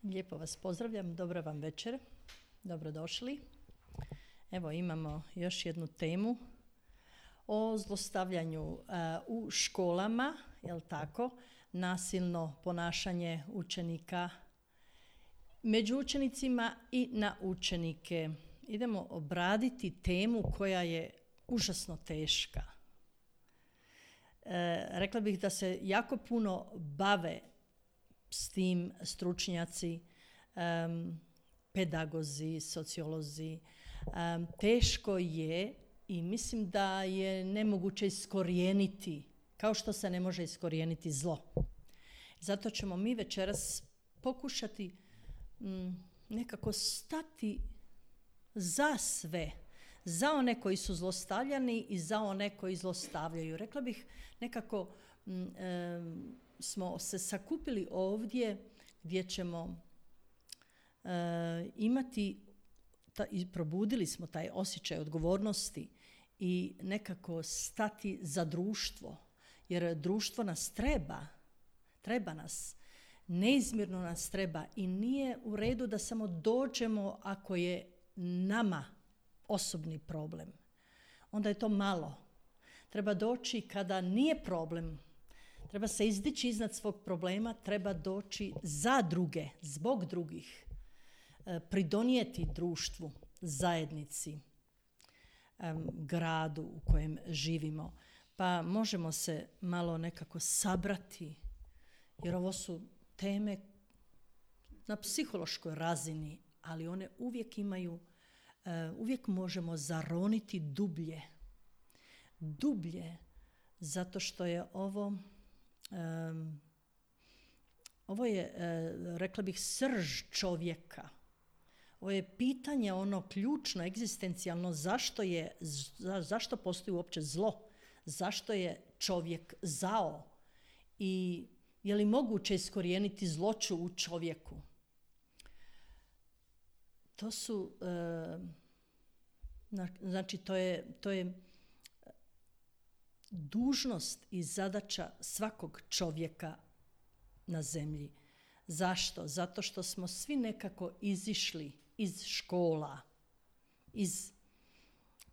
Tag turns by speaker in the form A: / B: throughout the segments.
A: Lijepo vas pozdravljam, dobra vam večer, dobrodošli. Evo imamo još jednu temu o zlostavljanju u školama, jel tako, nasilno ponašanje učenika među učenicima i na učenike. Idemo obraditi temu koja je užasno teška. Rekla bih da se jako puno bave s tim stručnjaci, pedagozi, sociolozi. Teško je i mislim da je nemoguće iskorijeniti, kao što se ne može iskorijeniti zlo. Zato ćemo mi večeras pokušati nekako stati za sve, za one koji su zlostavljani i za one koji zlostavljaju. Rekla bih nekako smo se sakupili ovdje gdje ćemo imati i probudili smo taj osjećaj odgovornosti i nekako stati za društvo, jer društvo nas treba nas, neizmjerno nas treba i nije u redu da samo dođemo ako je nama osobni problem. Onda je to malo. Treba doći kada nije problem, treba se izdići iznad svog problema, treba doći za druge, zbog drugih, pridonijeti društvu, zajednici, gradu u kojem živimo. Pa možemo se malo nekako sabrati, jer ovo su teme na psihološkoj razini, ali one uvijek imaju, uvijek možemo zaroniti dublje, zato što je ovo je, rekla bih, srž čovjeka. Ovo je pitanje ono ključno, egzistencijalno, zašto postoji uopće zlo, zašto je čovjek zao i je li moguće iskorijeniti zloću u čovjeku. To su, znači to je dužnost i zadaća svakog čovjeka na zemlji. Zašto? Zato što smo svi nekako izišli iz škola, iz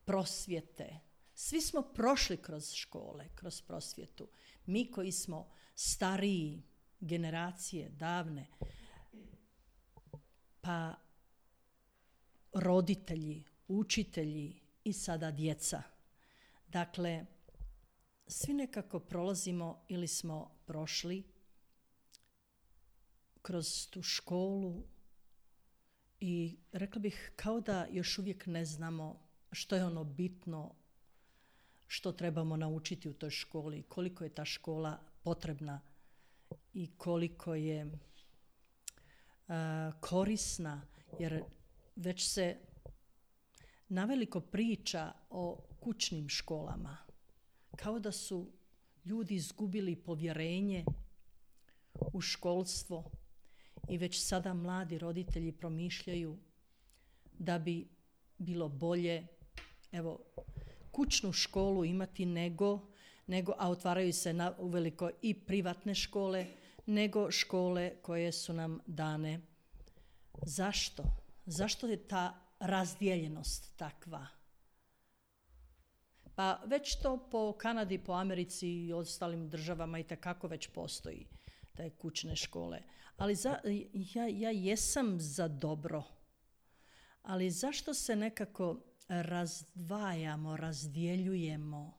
A: prosvjete. Svi smo prošli kroz škole, kroz prosvjetu. Mi koji smo stariji, generacije, davne, pa roditelji, učitelji i sada djeca. Dakle, svi nekako prolazimo ili smo prošli kroz tu školu i rekla bih kao da još uvijek ne znamo što je ono bitno, što trebamo naučiti u toj školi, koliko je ta škola potrebna i koliko je korisna, jer već se naveliko priča o kućnim školama. Kao da su ljudi izgubili povjerenje u školstvo i već sada mladi roditelji promišljaju da bi bilo bolje kućnu školu imati nego a otvaraju se uveliko i privatne škole, nego škole koje su nam dane. Zašto? Zašto je ta razdijeljenost takva? Pa već to po Kanadi, po Americi i ostalim državama itekako već postoji te kućne škole. Ali ja jesam za dobro. Ali zašto se nekako razdvajamo, razdjeljujemo?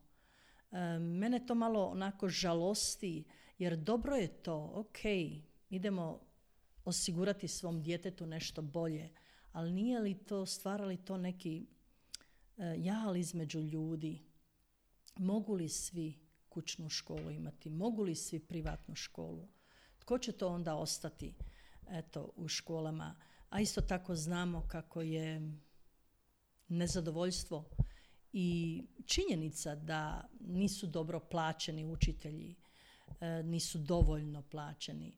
A: Mene to malo onako žalosti, jer dobro je to, ok, idemo osigurati svom djetetu nešto bolje, ali nije li to, stvara li to neki jal između ljudi? Mogu li svi kućnu školu imati? Mogu li svi privatnu školu? Tko će to onda ostati u školama? A isto tako znamo kako je nezadovoljstvo i činjenica da nisu dobro plaćeni učitelji, nisu dovoljno plaćeni.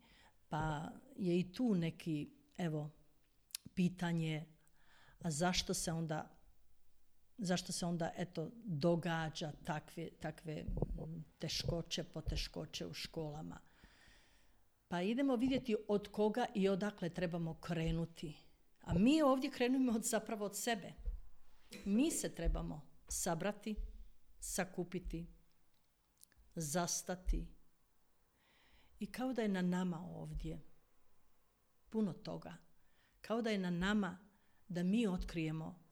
A: Pa je i tu neki, pitanje, a zašto se onda događa takve teškoće, poteškoće u školama? Pa idemo vidjeti od koga i odakle trebamo krenuti. A mi ovdje krenemo zapravo od sebe. Mi se trebamo sabrati, sakupiti, zastati. I kao da je na nama ovdje puno toga. Kao da je na nama da mi otkrijemo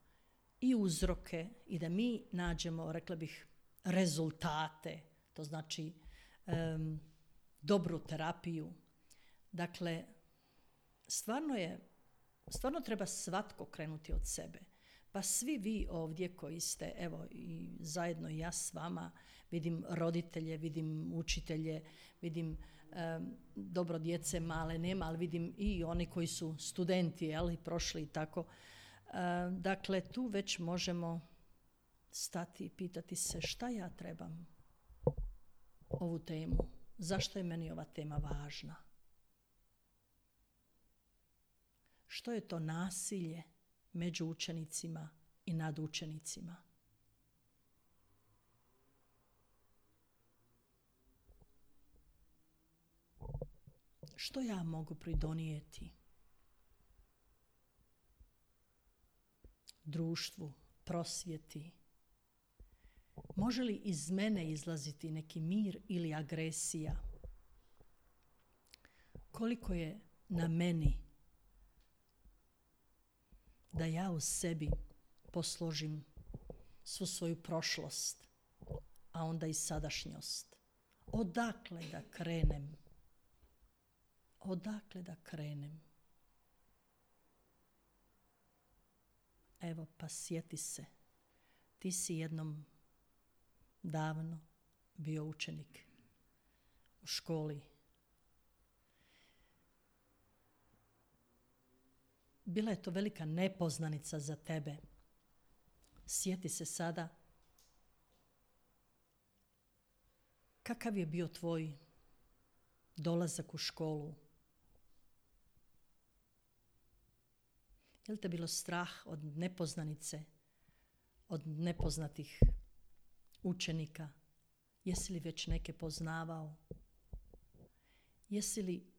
A: i uzroke i da mi nađemo, rekla bih, rezultate. To znači dobru terapiju. Dakle, stvarno treba svatko krenuti od sebe. Pa svi vi ovdje koji ste, evo i zajedno i ja s vama, vidim roditelje, vidim učitelje, vidim dobro djece male nema, ali vidim i oni koji su studenti, ali prošli i tako. Dakle, tu već možemo stati i pitati se šta ja trebam ovu temu. Zašto je meni ova tema važna? Što je to nasilje među učenicima i nad učenicima? Što ja mogu pridonijeti društvu, prosvjeti? Može li iz mene izlaziti neki mir ili agresija? Koliko je na meni da ja u sebi posložim svu svoju prošlost, a onda i sadašnjost? Odakle da krenem? Odakle da krenem? Evo, pa sjeti se. Ti si jednom davno bio učenik u školi. Bila je to velika nepoznanica za tebe. Sjeti se sada kakav je bio tvoj dolazak u školu. Je li te bilo strah od nepoznanice, od nepoznatih učenika? Jesi li već neke poznavao? Jesi li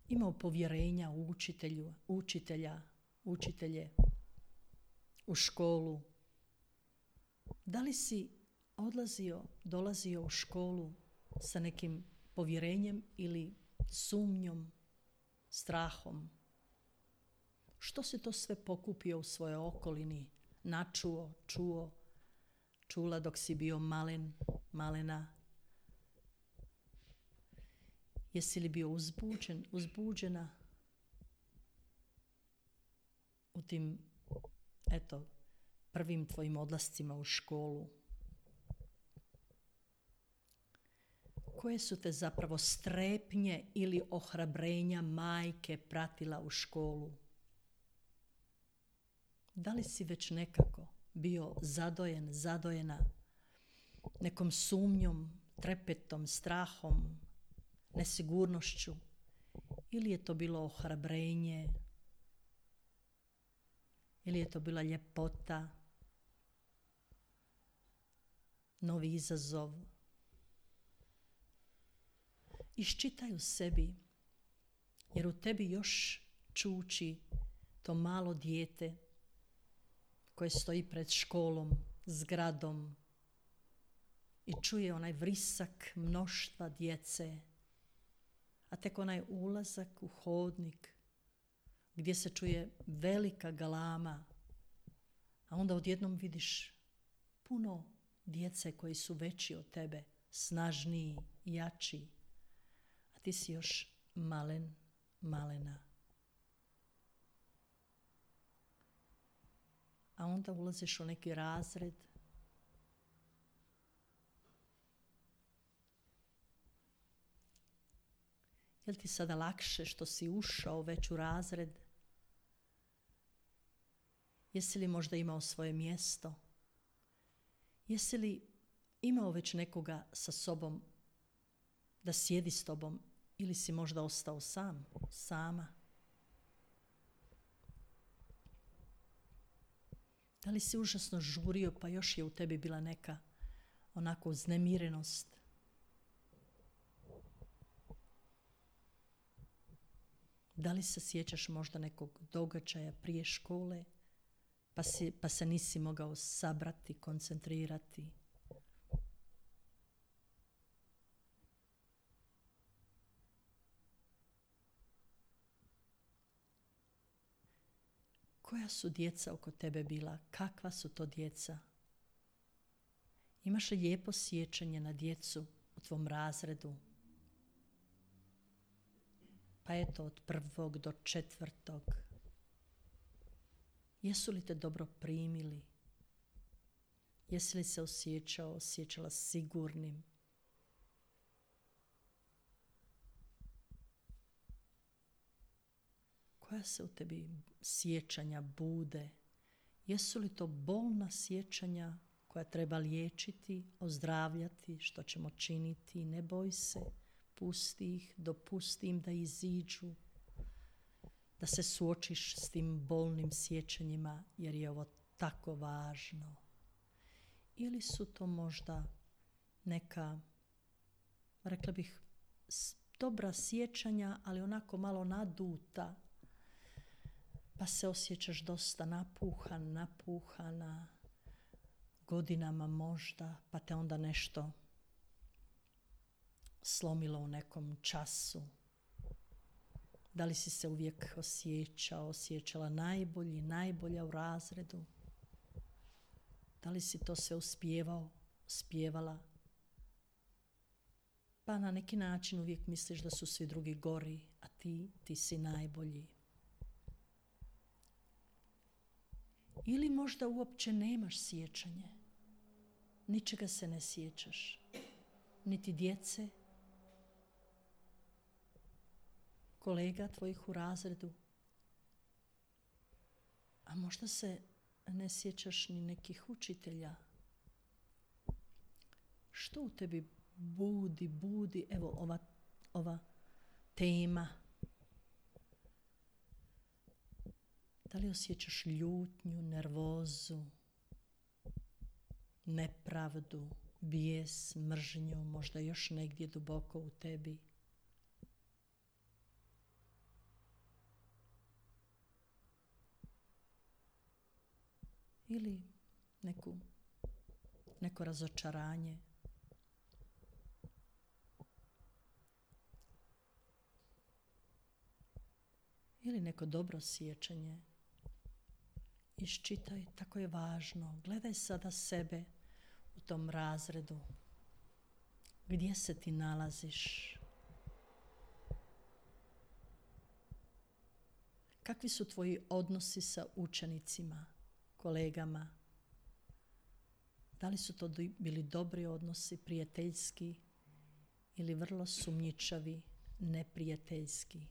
A: imao povjerenja u učitelje, u školu? Da li si dolazio u školu sa nekim povjerenjem ili sumnjom, strahom? Što si to sve pokupio u svojoj okolini, načuo, čula dok si bio malena? Jesi li bio uzbuđena u tim, prvim tvojim odlascima u školu? Koje su te zapravo strepnje ili ohrabrenja majke pratila u školu? Da li si već nekako bio zadojena nekom sumnjom, trepetom, strahom, nesigurnošću? Ili je to bilo ohrabrenje? Ili je to bila ljepota, novi izazov? Iščitaj u sebi, jer u tebi još čuči to malo dijete koje stoji pred školom, zgradom i čuje onaj vrisak mnoštva djece, a tek onaj ulazak u hodnik gdje se čuje velika galama, a onda odjednom vidiš puno djece koji su veći od tebe, snažniji, jači, a ti si još malena. A onda ulaziš u neki razred je li ti sada lakše što si ušao već u razred? Jesi li možda imao svoje mjesto? Jesi li imao već nekoga sa sobom da sjedi s tobom ili si možda ostao sama? Da li si užasno žurio pa još je u tebi bila neka onako uznemirenost? Da li se sjećaš možda nekog događaja prije škole, pa se nisi mogao sabrati, koncentrirati? Koja su djeca oko tebe bila? Kakva su to djeca? Imaš li lijepo sjećanje na djecu u tvom razredu? Pa eto, od 1. do 4. Jesu li te dobro primili? Jesi li se osjećala sigurnim? Koja se u tebi sjećanja bude? Jesu li to bolna sjećanja koja treba liječiti, ozdravljati, što ćemo činiti? Ne boj se, pusti ih, dopusti im da iziđu, da se suočiš s tim bolnim sjećanjima, jer je ovo tako važno. Ili su to možda neka, rekla bih, dobra sjećanja, ali onako malo naduta, pa se osjećaš dosta napuhana, godinama možda, pa te onda nešto slomilo u nekom času. Da li si se uvijek osjećala najbolja u razredu? Da li si to sve uspjevala? Pa na neki način uvijek misliš da su svi drugi gori, a ti si najbolji. Ili možda uopće nemaš sjećanje. Ničega se ne sjećaš. Niti djece, kolega tvojih u razredu. A možda se ne sjećaš ni nekih učitelja. Što u tebi budi, evo ova tema. Da li osjećaš ljutnju, nervozu, nepravdu, bijes, mržnju, možda još negdje duboko u tebi? Ili neko razočaranje? Ili neko dobro sjećanje? Iščitaj, tako je važno. Gledaj sada sebe u tom razredu. Gdje se ti nalaziš? Kakvi su tvoji odnosi sa učenicima, kolegama? Da li su to bili dobri odnosi, prijateljski ili vrlo sumnjičavi, neprijateljski?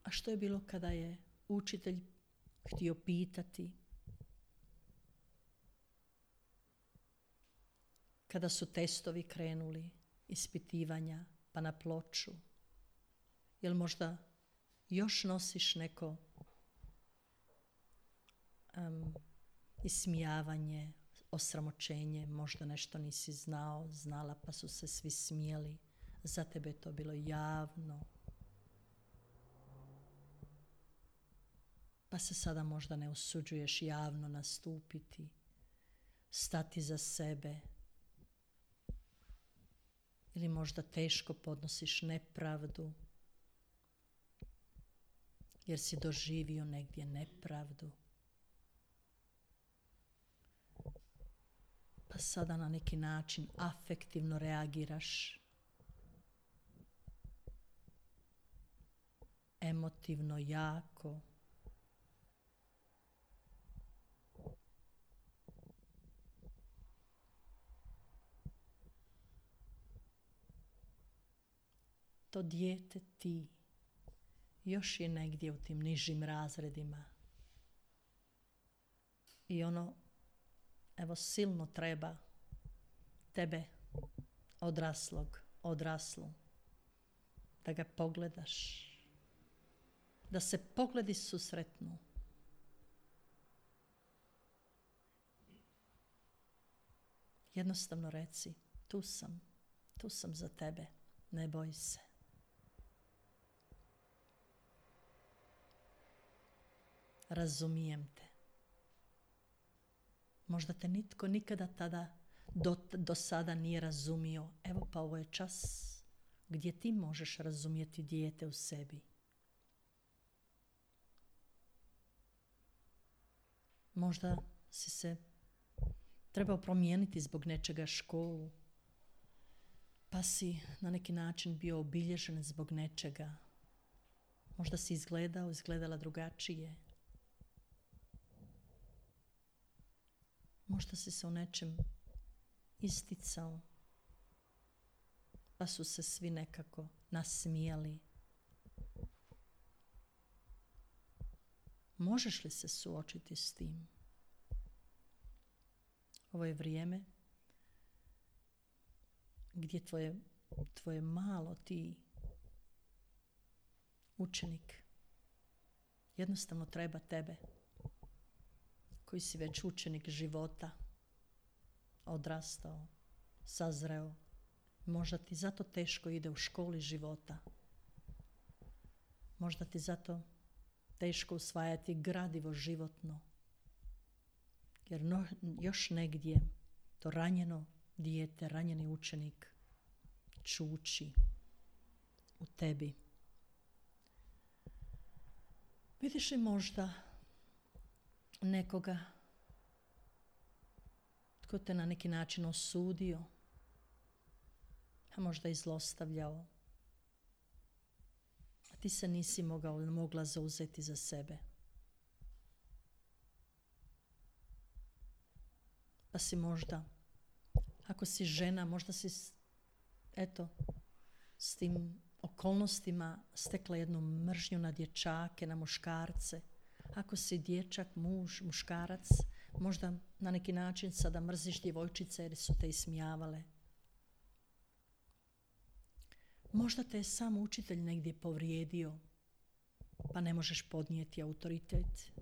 A: A što je bilo kada je učitelj htio pitati? Kada su testovi krenuli, ispitivanja, pa na ploču? Jel možda još nosiš neko ismijavanje, osramoćenje, možda nešto nisi znala, pa su se svi smijeli. Za tebe je to bilo javno. Pa se sada možda ne usuđuješ javno nastupiti, stati za sebe. Ili možda teško podnosiš nepravdu, jer si doživio negdje nepravdu. Pa sada na neki način afektivno reagiraš, emotivno jako. To dijete ti još je negdje u tim nižim razredima. I ono, silno treba tebe, odraslu, da ga pogledaš, da se pogledi susretnu. Jednostavno reci, tu sam, Tu sam za tebe, ne boj se. Razumijem te. Možda te nitko nikada tada do sada nije razumio. Evo pa ovo je čas gdje ti možeš razumjeti dijete u sebi. Možda si se trebao promijeniti zbog nečega školu, pa si na neki način bio obilježen zbog nečega. Možda si izgledala drugačije. Možda si se u nečem isticao, pa su se svi nekako nasmijali. Možeš li se suočiti s tim? Ovo je vrijeme gdje tvoje malo ti učenik jednostavno treba tebe, koji si već učenik života, odrastao, sazreo. Možda ti zato teško ide u školi života. Možda ti zato teško usvajati gradivo životno. Jer još negdje to ranjeno dijete, ranjeni učenik čuči u tebi. Vidiš li možda nekoga tko te na neki način osudio, a možda i zlostavljao, a ti se nisi mogla zauzeti za sebe. Pa si možda, ako si žena, možda si s tim okolnostima stekla jednu mržnju na dječake, na muškarce. Ako si dječak, muškarac, možda na neki način sada mrziš djevojčice jer su te ismijavale. Možda te je sam učitelj negdje povrijedio, pa ne možeš podnijeti autoritet.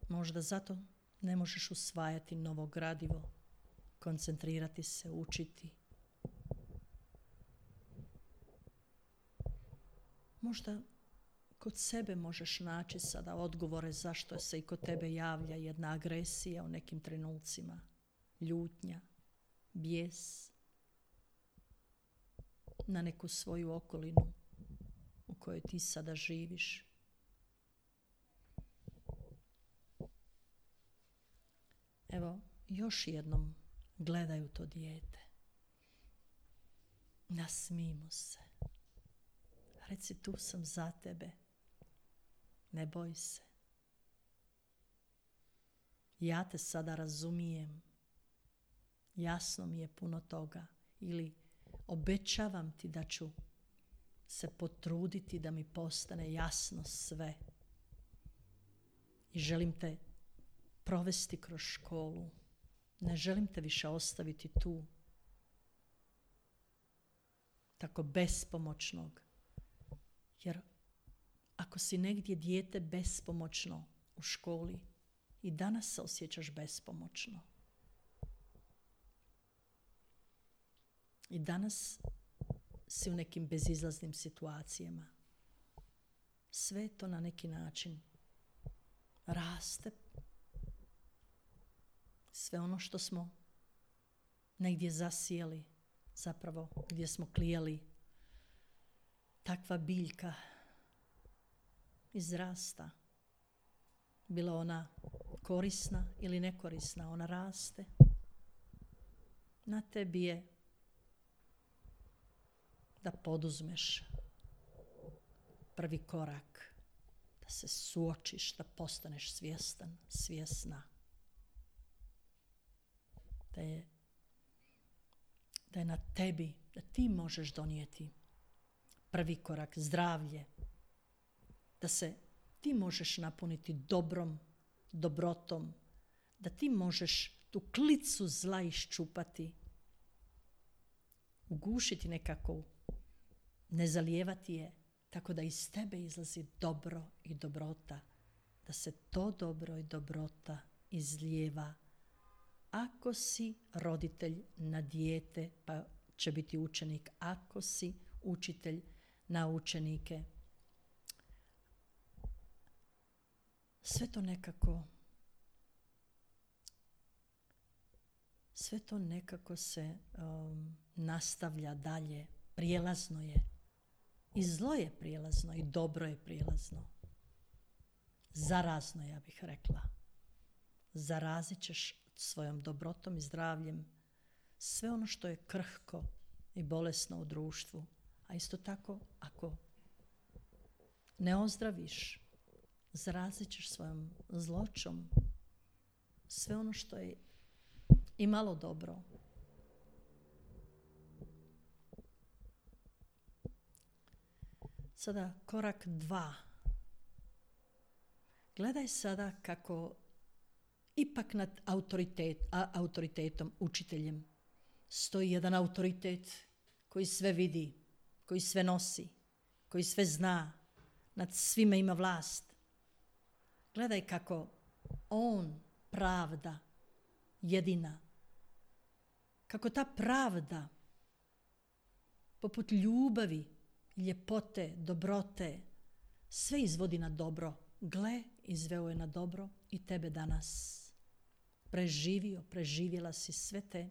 A: Možda zato ne možeš usvajati novo gradivo, koncentrirati se, učiti. Možda kod sebe možeš naći sada odgovore zašto se i kod tebe javlja jedna agresija u nekim trenucima, ljutnja, bijes na neku svoju okolinu u kojoj ti sada živiš. Evo, još jednom gledaju to dijete. Nasmij mu se. Reci, tu sam za tebe. Ne boj se. Ja te sada razumijem. Jasno mi je puno toga. Ili obećavam ti da ću se potruditi da mi postane jasno sve. I želim te provesti kroz školu. Ne želim te više ostaviti tu. Tako bespomoćnog. Jer ako si negdje dijete bespomoćno u školi, i danas se osjećaš bespomoćno. I danas si u nekim bezizlaznim situacijama. Sve to na neki način raste. Sve ono što smo negdje zasijeli, zapravo gdje smo klijali, takva biljka izrasta. Bila ona korisna ili nekorisna, ona raste. Na tebi je da poduzmeš prvi korak, da se suočiš, da postaneš svjestan, svjesna. Da je na tebi, da ti možeš donijeti prvi korak, zdravlje, da se ti možeš napuniti dobrom, dobrotom, da ti možeš tu klicu zla iščupati, ugušiti nekako, ne zalijevati je, tako da iz tebe izlazi dobro i dobrota, da se to dobro i dobrota izlijeva Ako si roditelj na dijete, pa će biti učenik. Ako si učitelj na učenike. Sve to nekako se nastavlja dalje. Prijelazno je. I zlo je prijelazno i dobro je prijelazno. Zarazno, ja bih rekla. Zarazit ćeš svojom dobrotom i zdravljem sve ono što je krhko i bolesno u društvu. A isto tako, ako ne ozdraviš, zarazit ćeš svojom zloćom sve ono što je i malo dobro. Sada korak 2. Gledaj sada kako ipak nad autoritetom, učiteljem, stoji jedan autoritet koji sve vidi, koji sve nosi, koji sve zna, nad svime ima vlast. Gledaj kako on, pravda, jedina, kako ta pravda, poput ljubavi, ljepote, dobrote, sve izvodi na dobro. Gle, izveo je na dobro i tebe danas. Preživjela si sve te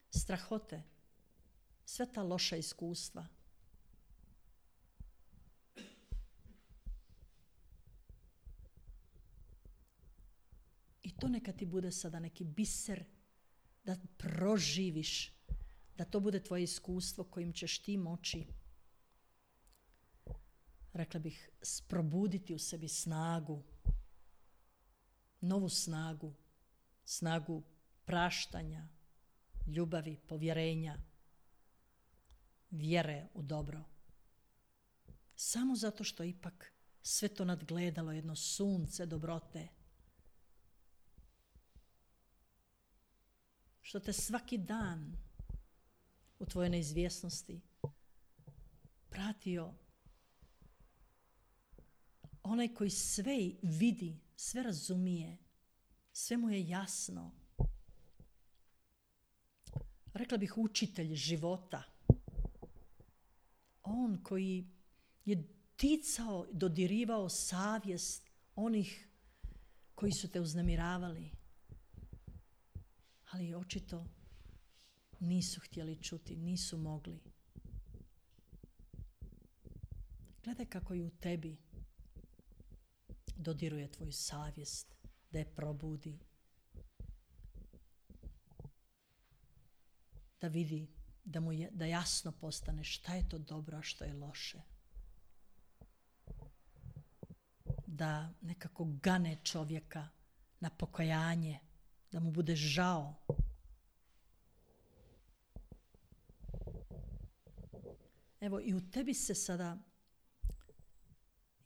A: strahote, sve ta loša iskustva. I to neka ti bude sada neki biser da proživiš, da to bude tvoje iskustvo kojim ćeš ti moći, rekla bih, probuditi u sebi snagu, novu snagu, snagu praštanja, ljubavi, povjerenja, vjere u dobro. Samo zato što ipak sve to nadgledalo jedno sunce dobrote, što te svaki dan u tvojoj neizvjesnosti pratio onaj koji sve vidi, sve razumije, sve mu je jasno. Rekla bih učitelj života. On koji je dodirivao savjest onih koji su te uznemiravali. Ali očito nisu htjeli čuti, nisu mogli. Gledaj kako i u tebi dodiruje tvoju savjest, da je probudi, da vidi, da jasno postane šta je to dobro, a što je loše. Da nekako gane čovjeka na pokajanje, da mu bude žao. Evo i u tebi se sada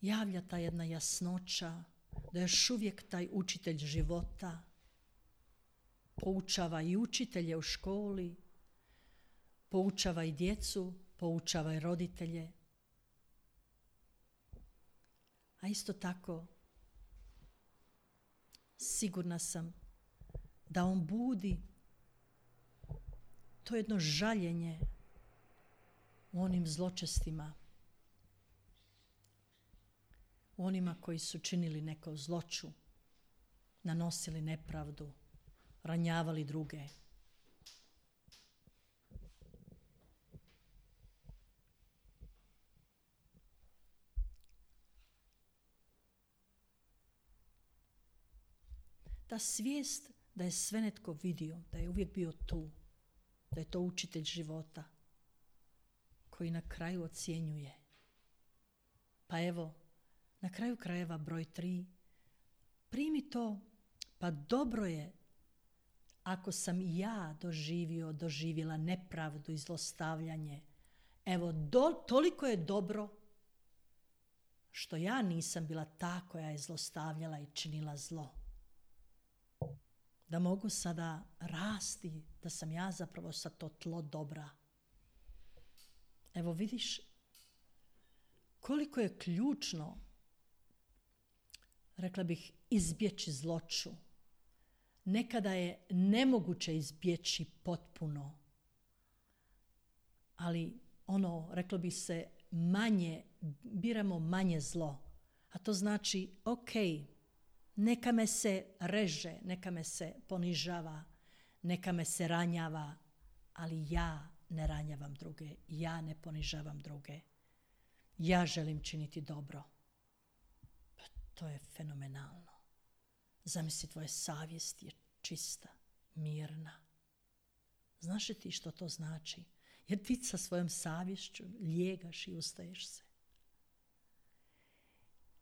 A: javlja ta jedna jasnoća, da još uvijek taj učitelj života poučava i učitelje u školi, poučava i djecu, poučava i roditelje. A isto tako, sigurna sam da on budi to jedno žaljenje u onim zločestima, u onima koji su činili neko zloću, nanosili nepravdu, ranjavali druge. Ta svijest da je sve netko vidio, da je uvijek bio tu, da je to učitelj života koji na kraju ocjenjuje. Pa evo, na kraju krajeva broj 3, primi to, pa dobro je ako sam i ja doživjela nepravdu i zlostavljanje. Evo, toliko je dobro što ja nisam bila ta koja je zlostavljala i činila zlo. Da mogu sada rasti, da sam ja zapravo sa to tlo dobra. Evo vidiš koliko je ključno, rekla bih, izbjeći zloću. Nekada je nemoguće izbjeći potpuno. Ali reklo bi se, biramo manje zlo. A to znači, ok, neka me se reže, neka me se ponižava, neka me se ranjava, ali ja ne ranjavam druge, ja ne ponižavam druge. Ja želim činiti dobro. Pa to je fenomenalno. Zamisli, tvoja savjest je čista, mirna. Znaš li ti što to znači? Jer ti sa svojom savješću lijegaš i ustaješ se.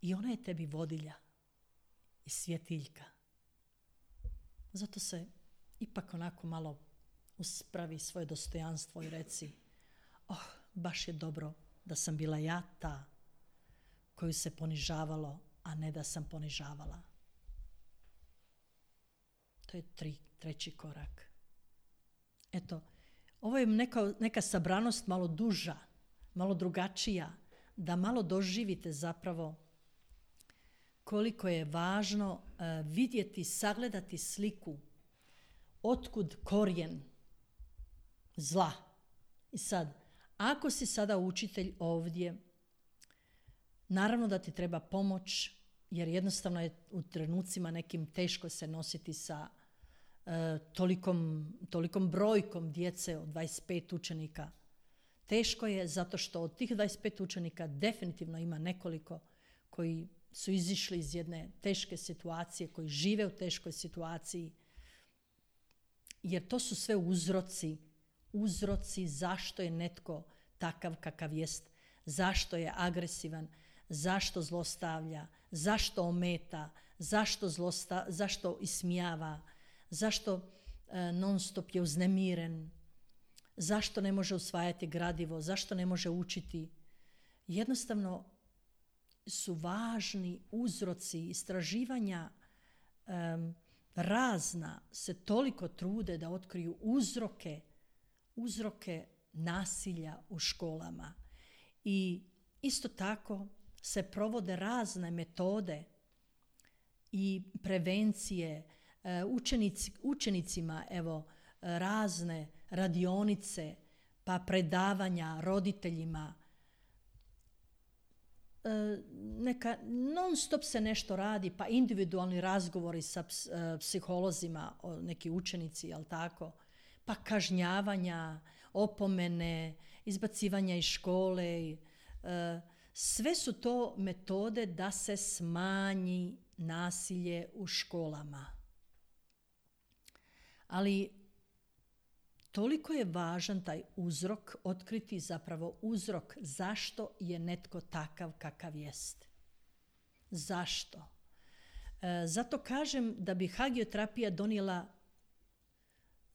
A: I ona je tebi vodilja i svjetiljka. Zato se ipak onako malo uspravi svoje dostojanstvo i reci, baš je dobro da sam bila ja ta koju se ponižavalo, a ne da sam ponižavala. To je treći korak. Eto, ovo je neka sabranost malo duža, malo drugačija, da malo doživite zapravo koliko je važno vidjeti, sagledati sliku otkud korijen zla. I sad, ako si sada učitelj ovdje, naravno da ti treba pomoć, jer jednostavno je u trenucima nekim teško se nositi sa tolikom brojkom djece od 25 učenika. Teško je zato što od tih 25 učenika definitivno ima nekoliko koji su izišli iz jedne teške situacije, koji žive u teškoj situaciji, jer to su sve uzroci zašto je netko takav kakav jest, zašto je agresivan, zašto zlostavlja, zašto ometa, zašto ismijava, zašto non stop je uznemiren, zašto ne može usvajati gradivo, zašto ne može učiti. Jednostavno su važni uzroci istraživanja, razna se toliko trude da otkriju uzroke nasilja u školama. I isto tako se provode razne metode i prevencije, učenicima razne radionice, pa predavanja roditeljima. Neka non stop se nešto radi, pa individualni razgovori sa psiholozima, neki učenici, jel tako? Pa kažnjavanja, opomene, izbacivanja iz škole. Sve su to metode da se smanji nasilje u školama. Ali toliko je važan taj uzrok, otkriti zapravo uzrok zašto je netko takav kakav jest. Zašto? Zato kažem da bi hagioterapija donijela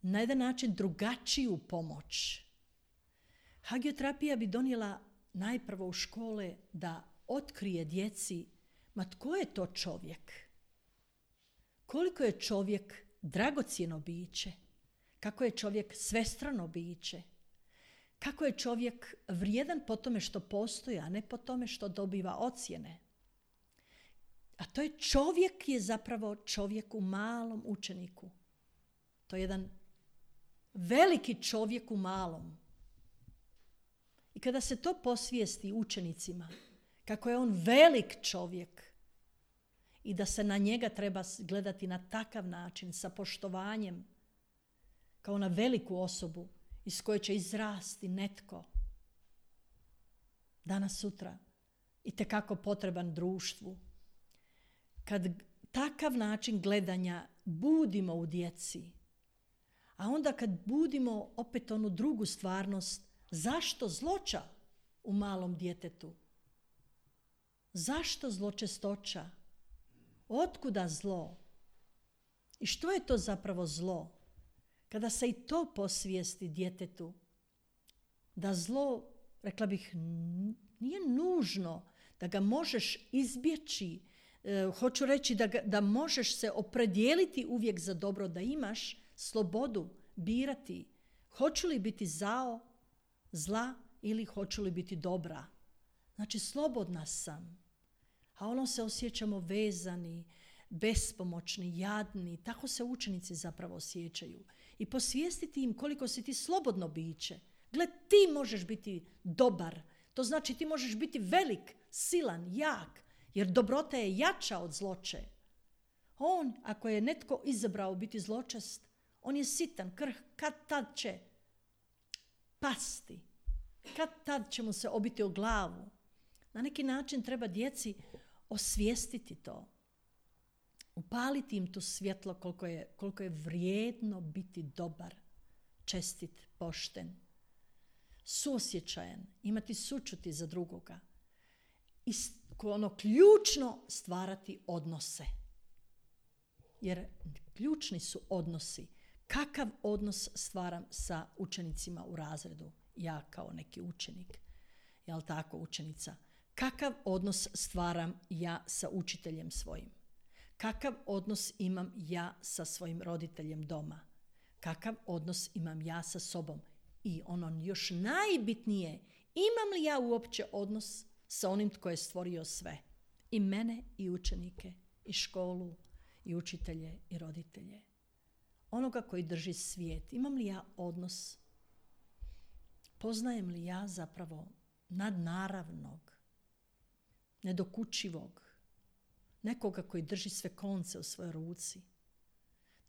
A: na jedan način drugačiju pomoć. Hagioterapija bi donijela najprvo u škole da otkrije djeci, ma tko je to čovjek? Koliko je čovjek dragocjeno biće? Kako je čovjek svestrano biće? Kako je čovjek vrijedan po tome što postoji, a ne po tome što dobiva ocjene? A to je čovjek je zapravo čovjek u malom učeniku. To je jedan veliki čovjek u malom. I kada se to posvijesti učenicima, kako je on velik čovjek i da se na njega treba gledati na takav način, sa poštovanjem, kao na veliku osobu iz koje će izrasti netko danas sutra itekako potreban društvu. Kad takav način gledanja budimo u djeci, a onda kad budimo opet onu drugu stvarnost, zašto zloća u malom djetetu? Zašto zločestoća? Otkuda zlo? I što je to zapravo zlo? Kada se i to posvijesti djetetu, da zlo, rekla bih, nije nužno da ga možeš izbjeći, hoću reći da možeš se opredijeliti uvijek za dobro, da imaš slobodu birati hoću li biti zla ili hoću li biti dobra. Znači, slobodna sam. A ono se osjećamo vezani, bespomoćni, jadni. Tako se učenici zapravo osjećaju. I posvijestiti im koliko si ti slobodno biće. Gle, ti možeš biti dobar. To znači ti možeš biti velik, silan, jak. Jer dobrota je jača od zloče. On, ako je netko izabrao biti zločest, on je sitan, kad tad će pasti. Kad tad će mu se obiti o glavu. Na neki način treba djeci osvijestiti to. Upaliti im to svjetlo koliko je vrijedno biti dobar, čestit, pošten, suosjećajan, imati sućuti za drugoga. I ono ključno stvarati odnose. Jer ključni su odnosi. Kakav odnos stvaram sa učenicima u razredu? Ja kao neki učenik. Jel tako, učenica? Kakav odnos stvaram ja sa učiteljem svojim? Kakav odnos imam ja sa svojim roditeljem doma? Kakav odnos imam ja sa sobom? I ono još najbitnije, imam li ja uopće odnos sa onim tko je stvorio sve? I mene, i učenike, i školu, i učitelje, i roditelje. Onoga koji drži svijet. Imam li ja odnos? Poznajem li ja zapravo nadnaravnog, nedokučivog, nekoga koji drži sve konce u svojoj ruci?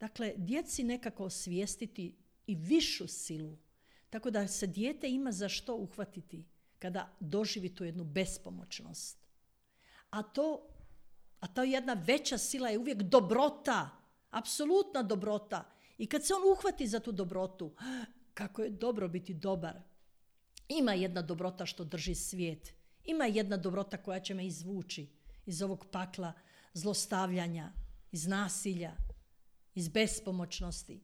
A: Dakle, djeci nekako osvijestiti i višu silu, tako da se dijete ima za što uhvatiti kada doživi tu jednu bespomoćnost. A ta jedna veća sila je uvijek dobrota, apsolutna dobrota. I kad se on uhvati za tu dobrotu, kako je dobro biti dobar. Ima jedna dobrota što drži svijet. Ima jedna dobrota koja će me izvući iz ovog pakla zlostavljanja, iz nasilja, iz bespomoćnosti.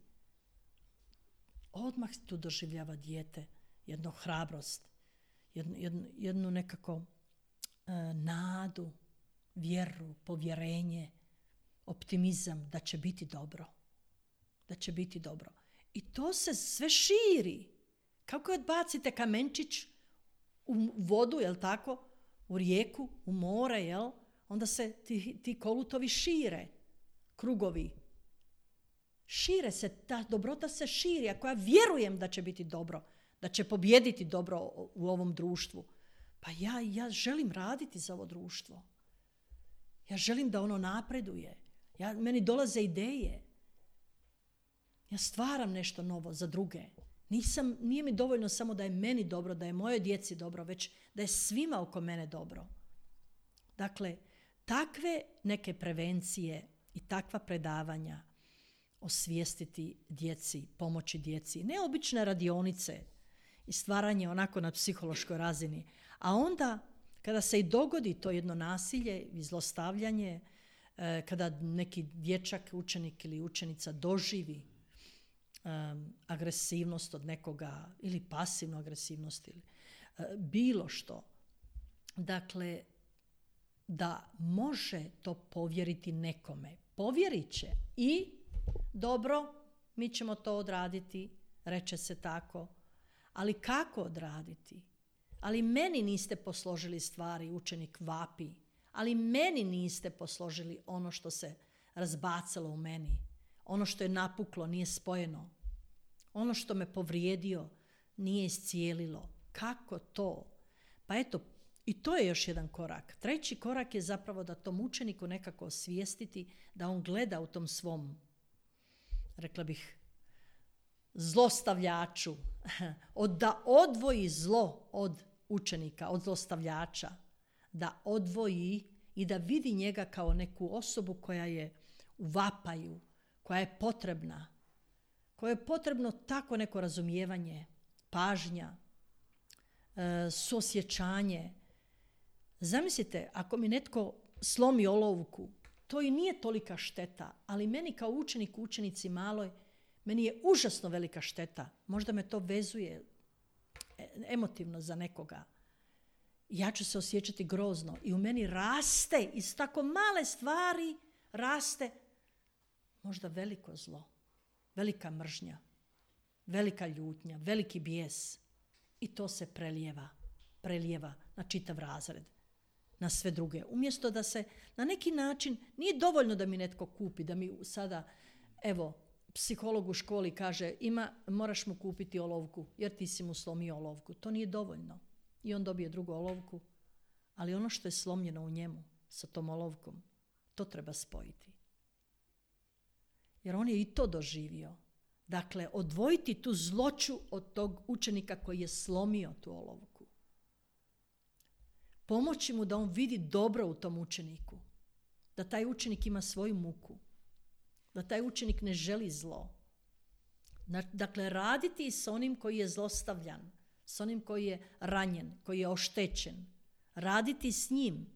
A: Odmah tu doživljava dijete jednu hrabrost, jednu nekako nadu, vjeru, povjerenje, optimizam da će biti dobro. Da će biti dobro. I to se sve širi. Kako odbacite kamenčić u vodu, jel tako? U rijeku, u more, jel? Onda se ti kolutovi šire, krugovi. Šire se, ta dobrota se širi. Ako ja vjerujem da će biti dobro, da će pobijediti dobro u ovom društvu, pa ja želim raditi za ovo društvo. Ja želim da ono napreduje. Meni dolaze ideje. Ja stvaram nešto novo za druge. Nije mi dovoljno samo da je meni dobro, da je mojoj djeci dobro, već da je svima oko mene dobro. Dakle, takve neke prevencije i takva predavanja osvijestiti djeci, pomoći djeci, neobične radionice i stvaranje onako na psihološkoj razini. A onda, kada se i dogodi to jedno nasilje i zlostavljanje, kada neki dječak, učenik ili učenica doživi agresivnost od nekoga ili pasivnu agresivnost ili bilo što. Dakle, da može to povjeriti nekome. Povjerit će i dobro, mi ćemo to odraditi, reče se tako. Ali kako odraditi? Ali meni niste posložili stvari, učenik vapi. Ali meni niste posložili ono što se razbacalo u meni. Ono što je napuklo, nije spojeno. Ono što me povrijedio, nije iscijelilo. Kako to? Pa eto, i to je još jedan korak. Treći korak je zapravo da tom učeniku nekako osvijestiti da on gleda u tom svom, rekla bih, zlostavljaču. Da odvoji zlo od učenika, od zlostavljača. Da odvoji i da vidi njega kao neku osobu koja je u vapaju, koja je potrebna, koje je potrebno tako neko razumijevanje, pažnja, suosjećanje. Zamislite, ako mi netko slomi olovku, to i nije tolika šteta, ali meni kao učenici maloj, meni je užasno velika šteta. Možda me to vezuje emotivno za nekoga. Ja ću se osjećati grozno i u meni raste, iz tako male stvari raste možda veliko zlo, velika mržnja, velika ljutnja, veliki bijes. I to se prelijeva na čitav razred. na sve druge. Umjesto da se na neki način, nije dovoljno da mi netko kupi, da mi sada, evo, psiholog u školi kaže, moraš mu kupiti olovku, jer ti si mu slomio olovku. To nije dovoljno. I on dobije drugu olovku, ali ono što je slomljeno u njemu sa tom olovkom, to treba spojiti. Jer on je i to doživio. Dakle, odvojiti tu zloću od tog učenika koji je slomio tu olovku. Pomoći mu da on vidi dobro u tom učeniku. Da taj učenik ima svoju muku. Da taj učenik ne želi zlo. Dakle, raditi s onim koji je zlostavljan, s onim koji je ranjen, koji je oštećen. Raditi s njim.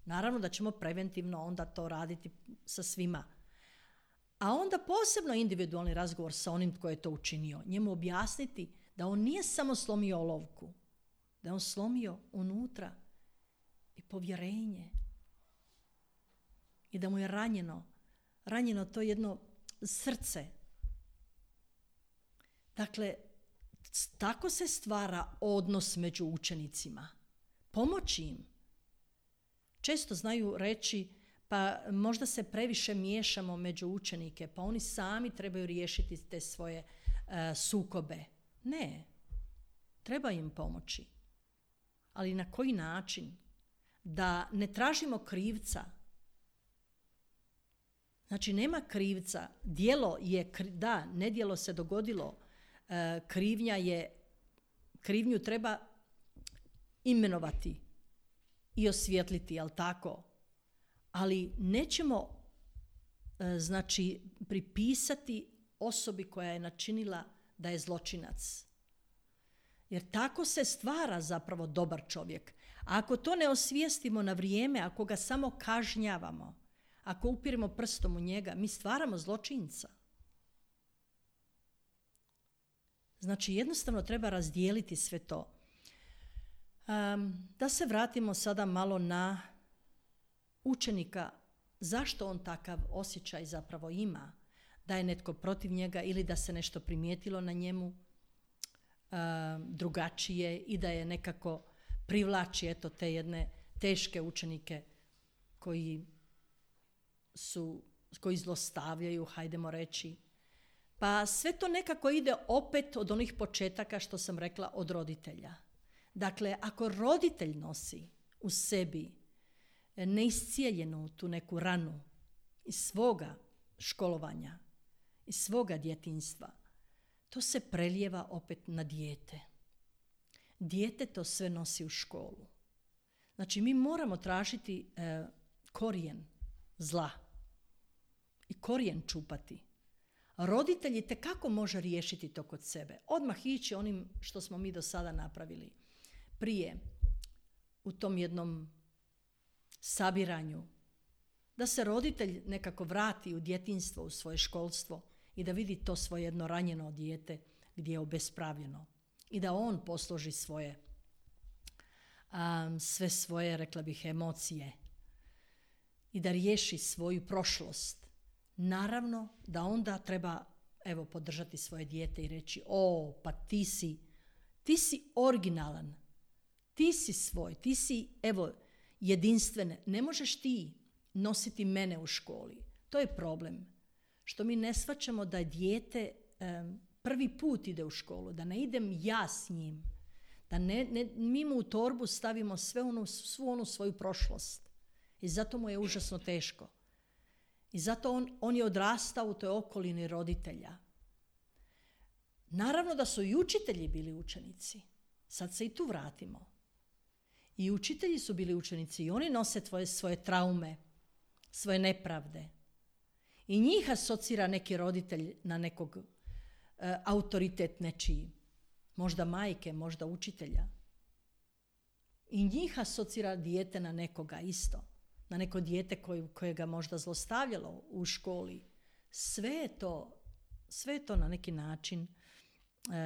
A: Naravno da ćemo preventivno onda to raditi sa svima. A onda posebno individualni razgovor sa onim tko je to učinio. Njemu objasniti da on nije samo slomio olovku, da je on slomio unutra i povjerenje. I da mu je ranjeno to jedno srce. Dakle, tako se stvara odnos među učenicima. Pomoći im. Često znaju reći, pa možda se previše miješamo među učenike, pa oni sami trebaju riješiti te svoje sukobe. Ne, treba im pomoći. Ali na koji način? Da ne tražimo krivca. Znači, nema krivca. Djelo je, nedjelo se dogodilo. Krivnju treba imenovati i osvijetliti, jel tako? Ali nećemo pripisati osobi koja je načinila da je zločinac. Jer tako se stvara zapravo dobar čovjek. A ako to ne osvijestimo na vrijeme, ako ga samo kažnjavamo, ako upiremo prstom u njega, mi stvaramo zločinca. Znači, jednostavno treba razdijeliti sve to. Da se vratimo sada malo na učenika, zašto on takav osjećaj zapravo ima, da je netko protiv njega ili da se nešto primijetilo na njemu drugačije i da je nekako privlači te jedne teške učenike koji zlostavljaju, hajdemo reći. Pa sve to nekako ide opet od onih početaka što sam rekla, od roditelja. Dakle, ako roditelj nosi u sebi neiscijeljenu tu neku ranu iz svoga školovanja, iz svoga djetinjstva, to se prelijeva opet na dijete. Dijete to sve nosi u školu. Znači, mi moramo tražiti korijen zla i korijen čupati. Roditelj itekako može riješiti to kod sebe. Odmah ići onim što smo mi do sada napravili. Prije, u tom jednom sabiranju, da se roditelj nekako vrati u djetinjstvo, u svoje školstvo i da vidi to svoje jedno ranjeno dijete gdje je obespravljeno i da on posloži sve svoje, rekla bih, emocije i da riješi svoju prošlost. Naravno da onda treba podržati svoje dijete i reći, pa ti si originalan, ti si svoj, ti si jedinstven, ne možeš ti nositi mene u školi. To je problem. Što mi ne shvaćamo da dijete prvi put ide u školu, da ne idem ja s njim, da mi mu u torbu stavimo svu onu svoju prošlost. I zato mu je užasno teško. I zato on je odrastao u toj okolini roditelja. Naravno da su i učitelji bili učenici. Sad se i tu vratimo. I učitelji su bili učenici i oni nose svoje traume, svoje nepravde. I njih asocira neki roditelj na nekog autoritet nečiji. Možda majke, možda učitelja. I njih asocira dijete na nekoga isto. Na neko dijete koje ga možda zlostavljalo u školi. Sve je to na neki način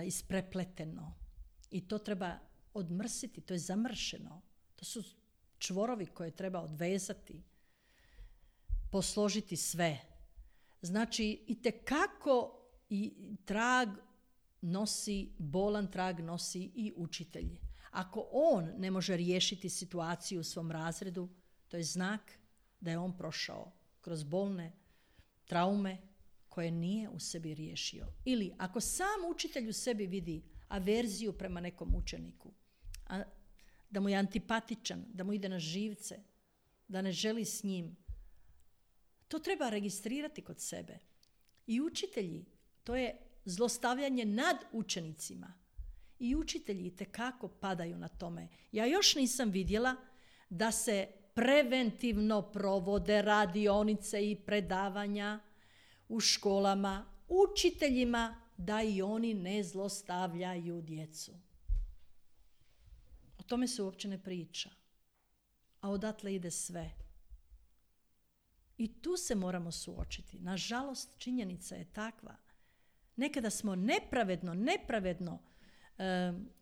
A: isprepleteno. I to treba odmrsiti, to je zamršeno. To su čvorovi koje treba odvezati, posložiti sve. Znači, itekako i bolan trag nosi i učitelj. Ako on ne može riješiti situaciju u svom razredu, to je znak da je on prošao kroz bolne traume koje nije u sebi riješio. Ili ako sam učitelj u sebi vidi averziju prema nekom učeniku, da mu je antipatičan, da mu ide na živce, da ne želi s njim, to treba registrirati kod sebe. I učitelji, to je zlostavljanje nad učenicima. I učitelji itekako padaju na tome. Ja još nisam vidjela da se preventivno provode radionice i predavanja u školama učiteljima da i oni ne zlostavljaju djecu. O tome se uopće ne priča. A odatle ide sve. I tu se moramo suočiti. Nažalost, činjenica je takva. Nekada smo nepravedno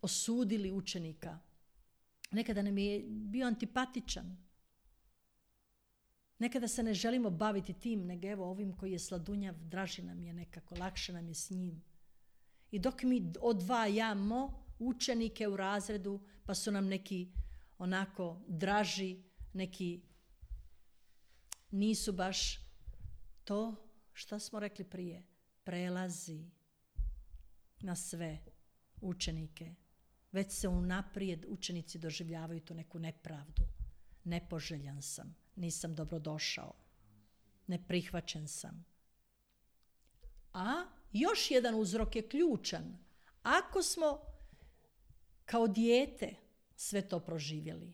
A: osudili učenika. Nekada nam je bio antipatičan. Nekada se ne želimo baviti tim, nego evo ovim koji je sladunjav, draži nam je nekako, lakše nam je s njim. I dok mi odvajamo učenike u razredu, pa su nam neki onako draži, neki nisu baš, to što smo rekli prije, prelazi na sve učenike. Već se unaprijed učenici doživljavaju tu neku nepravdu. Nepoželjan sam, nisam dobrodošao, neprihvaćen sam. A još jedan uzrok je ključan. Ako smo kao dijete sve to proživjeli,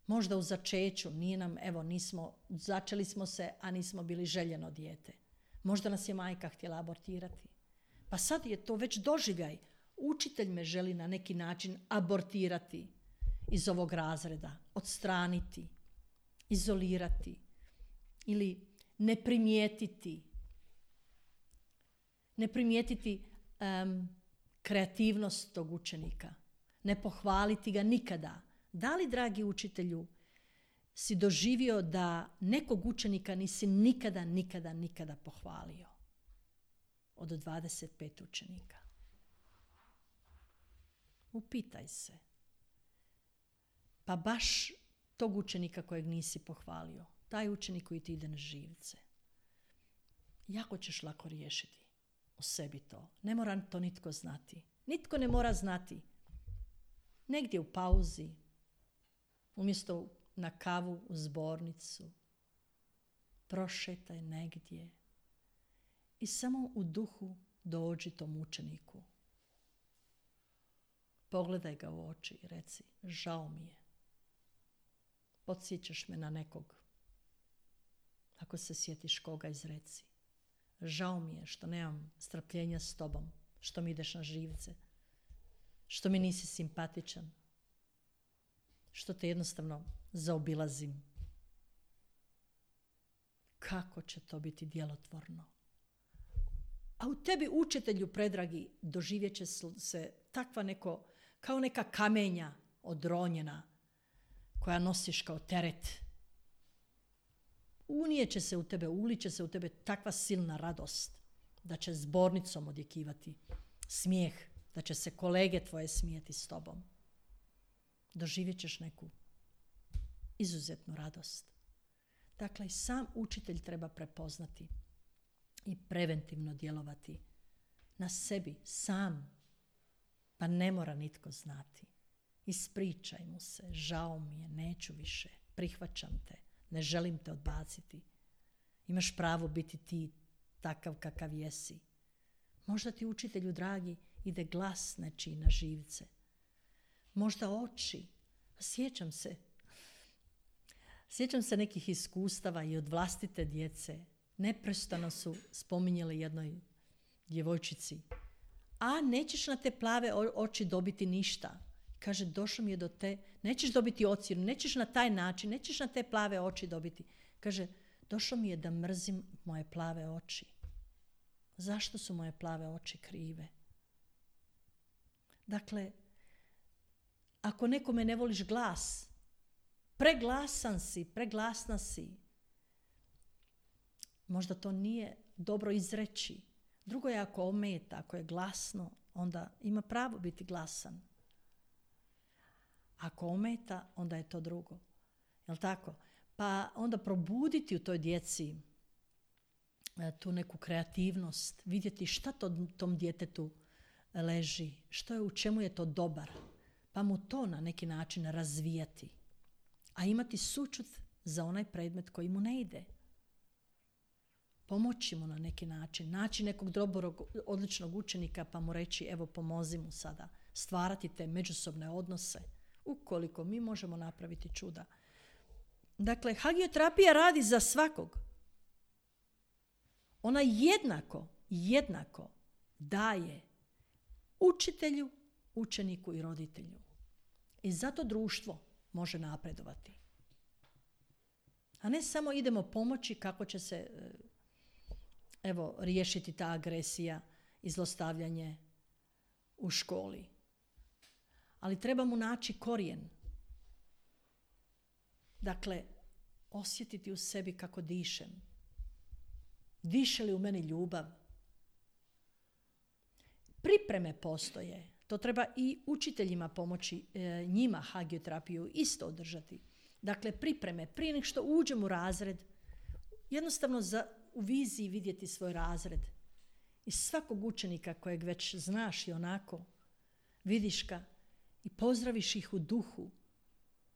A: možda u začeću, začeli smo se, a nismo bili željeno dijete. Možda nas je majka htjela abortirati. Pa sad je to već doživljaj. Učitelj me želi na neki način abortirati iz ovog razreda, odstraniti, izolirati ili ne primijetiti kreativnost tog učenika, ne pohvaliti ga nikada. Da li, dragi učitelju, si doživio da nekog učenika nisi nikada pohvalio? Od 25 učenika. Upitaj se. Pa baš tog učenika kojeg nisi pohvalio, taj učenik koji ti ide na živce, jako ćeš lako riješiti u sebi to. Ne mora to nitko znati. Nitko ne mora znati. Negdje u pauzi, umjesto na kavu u zbornicu, prošetaj negdje i samo u duhu dođi tom učeniku. Pogledaj ga u oči i reci, žao mi je. Podsjećaš me na nekog. Ako se sjetiš koga, izreci. Žao mi je što nemam strpljenja s tobom, što mi ideš na živce, što mi nisi simpatičan, što te jednostavno zaobilazim. Kako će to biti djelotvorno? A u tebi, učitelju predragi, doživjet će se takva kao neka kamenja odronjena koja nosiš kao teret. Uliće se u tebe takva silna radost da će zbornicom odjekivati smijeh, da će se kolege tvoje smijeti s tobom. Doživjet ćeš neku izuzetnu radost. Dakle, i sam učitelj treba prepoznati i preventivno djelovati na sebi sam, pa ne mora nitko znati. Ispričaj mu se, žao mi je, neću više, prihvaćam te, ne želim te odbaciti. Imaš pravo biti ti takav kakav jesi. Možda ti, učitelju dragi, ide glas nečiji na živce. Možda oči. Sjećam se nekih iskustava i od vlastite djece. Neprestano su spominjali jednoj djevojčici. A nećeš na te plave oči dobiti ništa. Kaže, došlo mi je do te, nećeš dobiti ocjenu, nećeš na taj način, nećeš na te plave oči dobiti. Kaže, došlo mi je da mrzim moje plave oči. Zašto su moje plave oči krive? Dakle, ako nekome ne voliš glas, preglasna si. Možda to nije dobro izreći. Drugo je ako ometa, ako je glasno, onda ima pravo biti glasan. Ako ometa, onda je to drugo. Jel tako? Pa onda probuditi u toj djeci tu neku kreativnost, vidjeti šta tom djetetu leži, u čemu je to dobar, pa mu to na neki način razvijati. A imati sućut za onaj predmet koji mu ne ide. Pomoći mu na neki način, naći nekog dobrog, odličnog učenika pa mu reći evo pomozi mu sada, stvarati te međusobne odnose, ukoliko mi možemo napraviti čuda. Dakle, hagioterapija radi za svakog. Ona jednako daje učitelju, učeniku i roditelju. I zato društvo može napredovati. A ne samo idemo pomoći kako će se riješiti ta agresija i zlostavljanje u školi. Ali treba mu naći korijen. Dakle, osjetiti u sebi kako dišem. Diše li u meni ljubav? Pripreme postoje. To treba i učiteljima pomoći, njima hagioterapiju isto održati. Dakle, pripreme. Prije nego što uđem u razred, jednostavno u viziji vidjeti svoj razred. I svakog učenika kojeg već znaš i onako, vidiš ga i pozdraviš ih u duhu.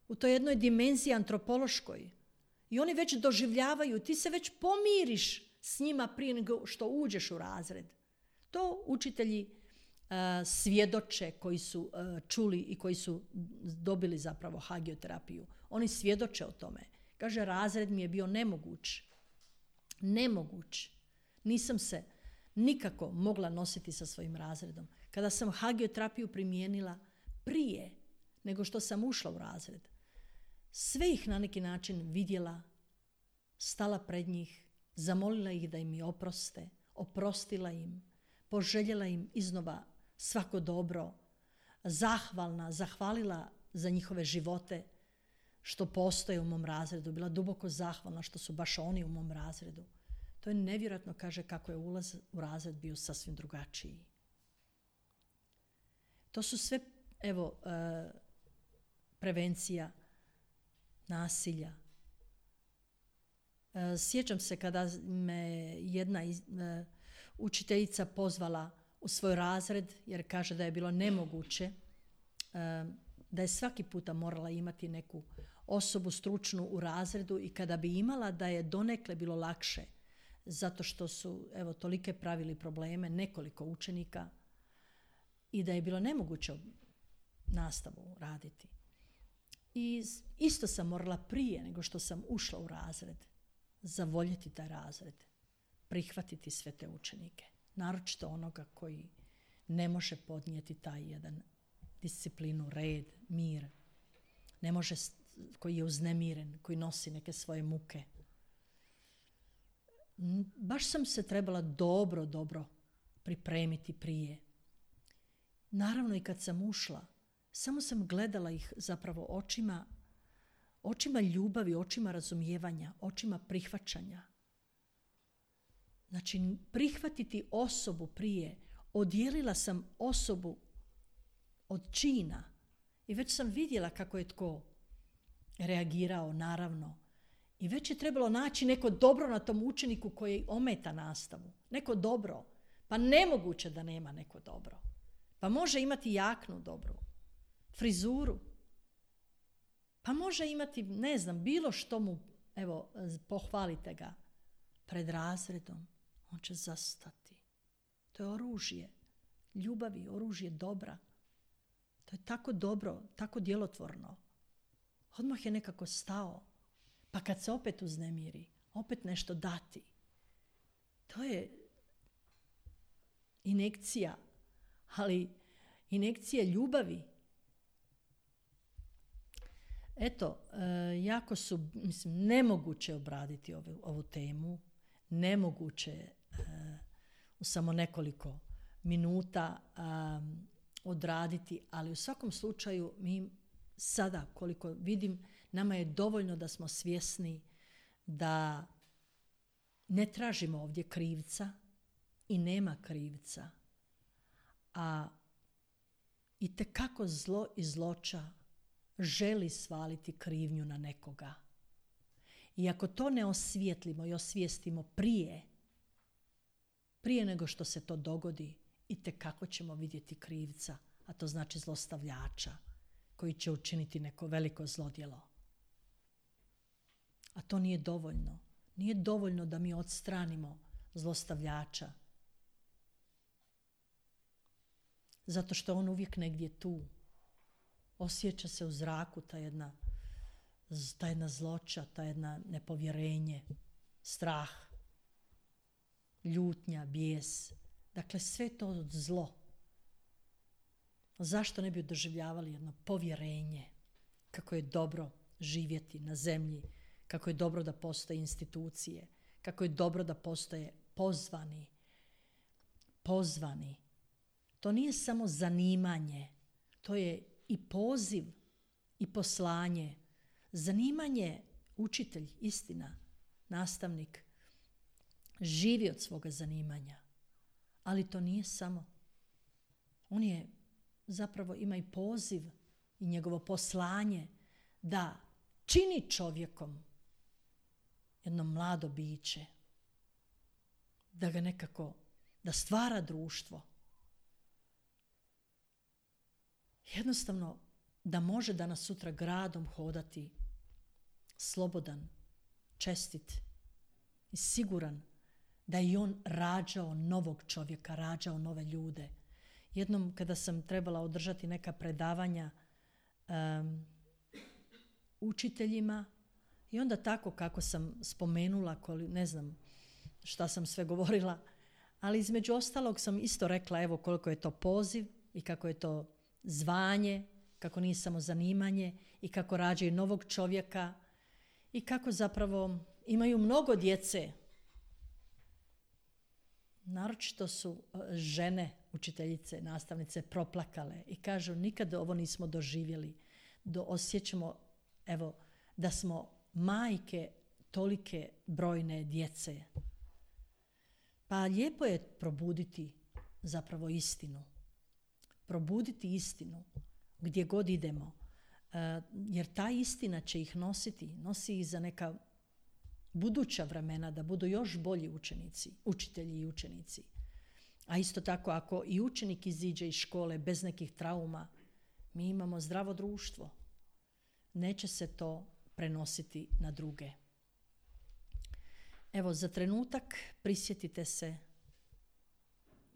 A: U toj jednoj dimenziji antropološkoj. I oni već doživljavaju, ti se već pomiriš s njima prije nego što uđeš u razred. To učitelji svjedoče koji su čuli i koji su dobili zapravo hagioterapiju. Oni svjedoče o tome. Kaže, razred mi je bio nemoguć. Nemoguć. Nisam se nikako mogla nositi sa svojim razredom. Kada sam hagioterapiju primijenila prije nego što sam ušla u razred, sve ih na neki način vidjela, stala pred njih, zamolila ih da im mi oproste, oprostila im, poželjela im iznova svako dobro, zahvalila za njihove živote što postoje u mom razredu, bila duboko zahvalna što su baš oni u mom razredu. To je nevjerojatno, kaže, kako je ulaz u razred bio sasvim drugačiji. To su sve, prevencija nasilja. Sjećam se kada me jedna učiteljica pozvala u svoj razred, jer kaže da je bilo nemoguće, da je svaki puta morala imati neku osobu stručnu u razredu i kada bi imala da je donekle bilo lakše, zato što su tolike pravili probleme, nekoliko učenika, i da je bilo nemoguće nastavu raditi. I isto sam morala prije nego što sam ušla u razred zavoljeti taj razred, prihvatiti sve te učenike, naročito onoga koji ne može podnijeti taj jedan disciplinu, red, mir, ne može, koji je uznemiren, koji nosi neke svoje muke. Baš sam se trebala dobro pripremiti prije. Naravno i kad sam ušla, samo sam gledala ih zapravo očima ljubavi, očima razumijevanja, očima prihvaćanja. Znači, prihvatiti osobu prije. Odijelila sam osobu od čina i već sam vidjela kako je tko reagirao, naravno. I već je trebalo naći neko dobro na tom učeniku koji ometa nastavu. Neko dobro. Pa nemoguće da nema neko dobro. Pa može imati jaknu dobru, frizuru. Pa može imati, ne znam, bilo što mu, pohvalite ga pred razredom. On će zastati. To je oružje ljubavi, oružje dobra. To je tako dobro, tako djelotvorno. Odmah je nekako stao. Pa kad se opet uznemiri, opet nešto dati. To je injekcija, ali injekcija ljubavi. Jako su, nemoguće obraditi ovu temu. Nemoguće u samo nekoliko minuta odraditi, ali u svakom slučaju mi sada, koliko vidim, nama je dovoljno da smo svjesni da ne tražimo ovdje krivca i nema krivca, a itekako zlo i zloća želi svaliti krivnju na nekoga. I ako to ne osvijetlimo i osvijestimo prije nego što se to dogodi, itekako ćemo vidjeti krivca, a to znači zlostavljača koji će učiniti neko veliko zlodjelo. A to nije dovoljno. Nije dovoljno da mi odstranimo zlostavljača. Zato što on uvijek negdje tu. Osjeća se u zraku ta jedna zloća, ta jedna nepovjerenje, strah, ljutnja, bijes. Dakle, sve to zlo. Zašto ne bi doživljavali jedno povjerenje kako je dobro živjeti na zemlji, kako je dobro da postoje institucije, kako je dobro da postoje pozvani. To nije samo zanimanje, to je i poziv i poslanje. Zanimanje, učitelj, istina, nastavnik, živi od svoga zanimanja. Ali to nije samo. On je zapravo ima i poziv i njegovo poslanje da čini čovjekom jedno mlado biće, da ga nekako, da stvara društvo. Jednostavno da može danas sutra gradom hodati slobodan, čestit i siguran da je on rađao novog čovjeka, rađao nove ljude. Jednom kada sam trebala održati neka predavanja učiteljima i onda tako kako sam spomenula, ne znam šta sam sve govorila, ali između ostalog sam isto rekla evo koliko je to poziv i kako je to zvanje, kako nije samo zanimanje i kako rađaju novog čovjeka i kako zapravo imaju mnogo djece. Naročito su žene, učiteljice, nastavnice proplakale i kažu nikad ovo nismo doživjeli. Osjećamo evo, da smo majke tolike brojne djece. Pa lijepo je probuditi zapravo istinu. Probuditi istinu gdje god idemo. Jer ta istina će ih nosi ih za neka buduća vremena da budu još bolji učitelji i učenici. A isto tako ako i učenik iziđe iz škole bez nekih trauma, mi imamo zdravo društvo. Neće se to prenositi na druge. Evo, za trenutak prisjetite se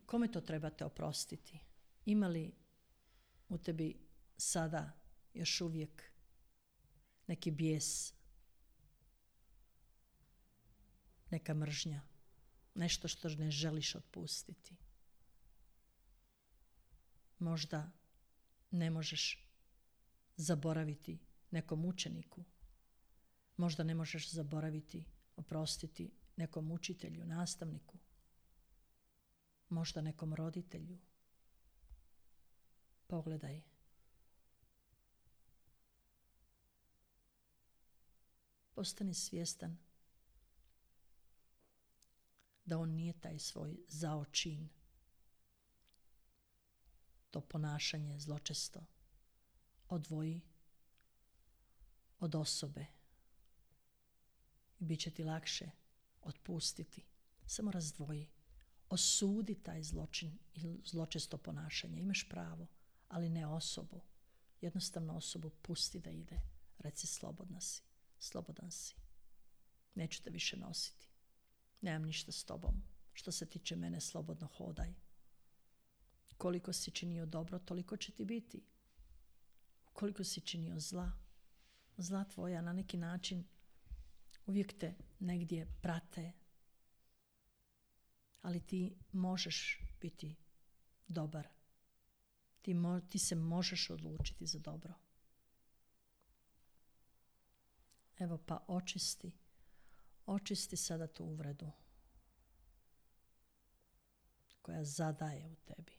A: kome to trebate oprostiti. Ima li u tebi sada još uvijek neki bijes, neka mržnja, nešto što ne želiš otpustiti? Možda ne možeš zaboraviti nekom učeniku. Možda ne možeš zaboraviti, oprostiti nekom učitelju, nastavniku. Možda nekom roditelju. Pogledaj. Postani svjestan da on nije taj svoj zao čin, to ponašanje zločesto odvoji od osobe i bit će ti lakše otpustiti. Samo razdvoji. Osudi taj zločin ili zločesto ponašanje. Imaš pravo, ali ne osobu. Jednostavno osobu pusti da ide. Reci slobodan si. Neću te više nositi. Nemam ništa s tobom. Što se tiče mene, slobodno hodaj. Koliko si činio dobro, toliko će ti biti. Koliko si činio zla tvoja na neki način uvijek te negdje prate. Ali ti možeš biti dobar. Ti se možeš odlučiti za dobro. Evo pa očisti sada tu uvredu koja zadaje u tebi.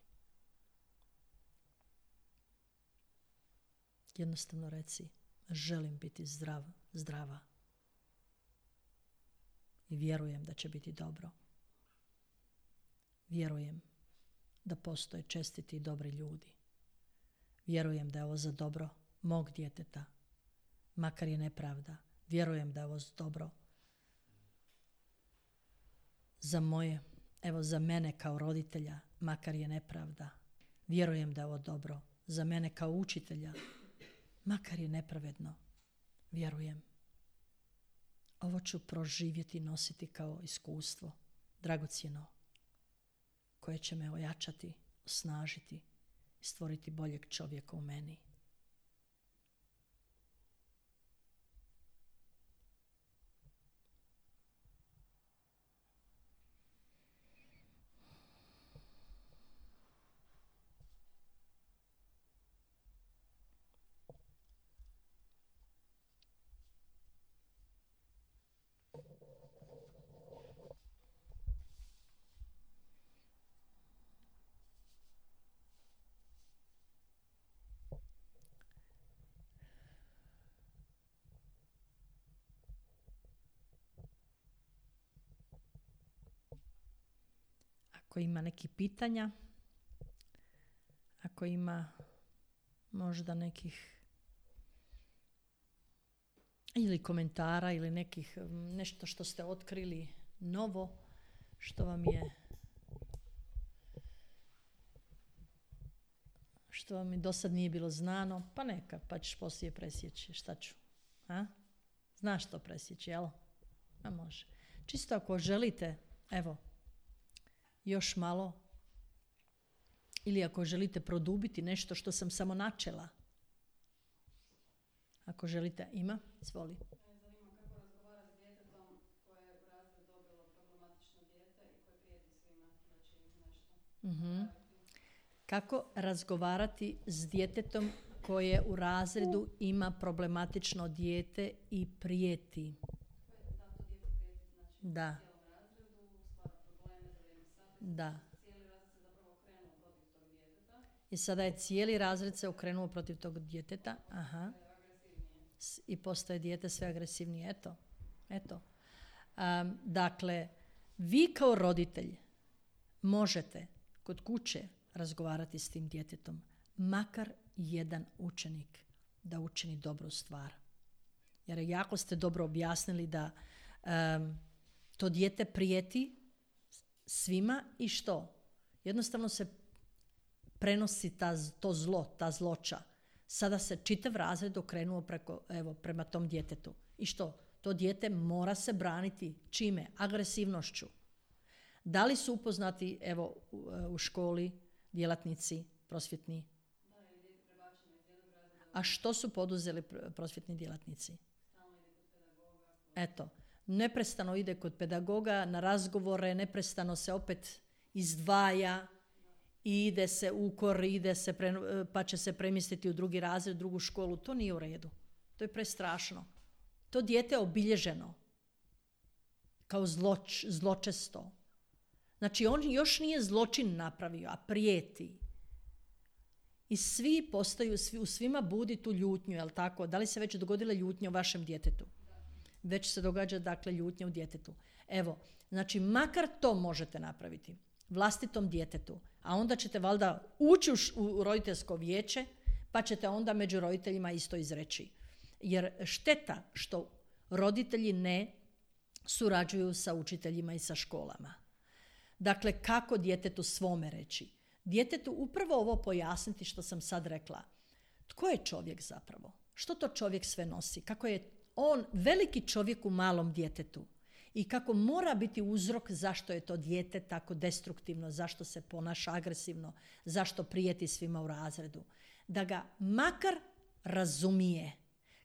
A: Jednostavno reci, želim biti zdrava i vjerujem da će biti dobro. Vjerujem da postoje čestiti i dobri ljudi. Vjerujem da je ovo za dobro mog djeteta, makar je nepravda. Vjerujem da je ovo dobro za moje, evo za mene kao roditelja, makar je nepravda. Vjerujem da je ovo dobro za mene kao učitelja, makar je nepravedno. Vjerujem. Ovo ću proživjeti i nositi kao iskustvo, dragocjeno, koje će me ojačati, osnažiti i stvoriti boljeg čovjeka u meni. Ako ima nekih pitanja, ako ima možda nekih ili komentara ili nekih nešto što ste otkrili novo, što vam do sad nije bilo znano, pa neka, pa ćeš poslije presjeći. Šta ću? A? Znaš što presjeći, jel? A može. Čisto ako želite, evo, još malo, ili ako želite produbiti nešto što sam samo načela. Ako želite, ima, izvoli.
B: Zanima kako razgovarati s djetetom koje je u razred dobilo problematično dijete i koje prijeti svima da će im nešto.
A: Kako razgovarati s djetetom koje u razredu ima problematično dijete i prijeti?
B: Da, to dijete prijeti, znači
A: Da.
B: cijelom razredu, stvara probleme za vrijeme sastanka.
A: Da.
B: Cijeli razred se zapravo okrenuo protiv tog djeteta.
A: I sada je cijeli razred se okrenuo protiv tog djeteta. Aha. I postaje dijete sve agresivnije. Eto. Dakle, vi kao roditelj možete kod kuće razgovarati s tim djetetom, makar jedan učenik da učini dobru stvar. Jer jako ste dobro objasnili da to dijete prijeti svima i što? Jednostavno se prenosi to zlo, ta zloća. Sada se čitav razred okrenuo prema tom djetetu. I što? To dijete mora se braniti čime? Agresivnošću. Da li su upoznati u školi djelatnici prosvjetni? A što su poduzeli prosvjetni djelatnici? Eto, neprestano ide kod pedagoga na razgovore, neprestano se opet izdvaja i ide se ukor, pa će se premjestiti u drugi razred, u drugu školu. To nije u redu. To je prestrašno. To dijete je obilježeno kao zločesto. Znači, on još nije zločin napravio, a prijeti. I u svima budi tu ljutnju, jel tako? Da li se već dogodila ljutnja u vašem djetetu? Već se događa, dakle, ljutnja u djetetu. Evo, znači, makar to možete napraviti vlastitom djetetu, a onda ćete valjda ući u roditeljsko vijeće, pa ćete onda među roditeljima isto izreći. Jer šteta što roditelji ne surađuju sa učiteljima i sa školama. Dakle, kako djetetu svome reći? Djetetu upravo ovo pojasniti što sam sad rekla. Tko je čovjek zapravo? Što to čovjek sve nosi? Kako je on veliki čovjek u malom djetetu? I kako mora biti uzrok zašto je to dijete tako destruktivno, zašto se ponaša agresivno, zašto prijeti svima u razredu. Da ga makar razumije.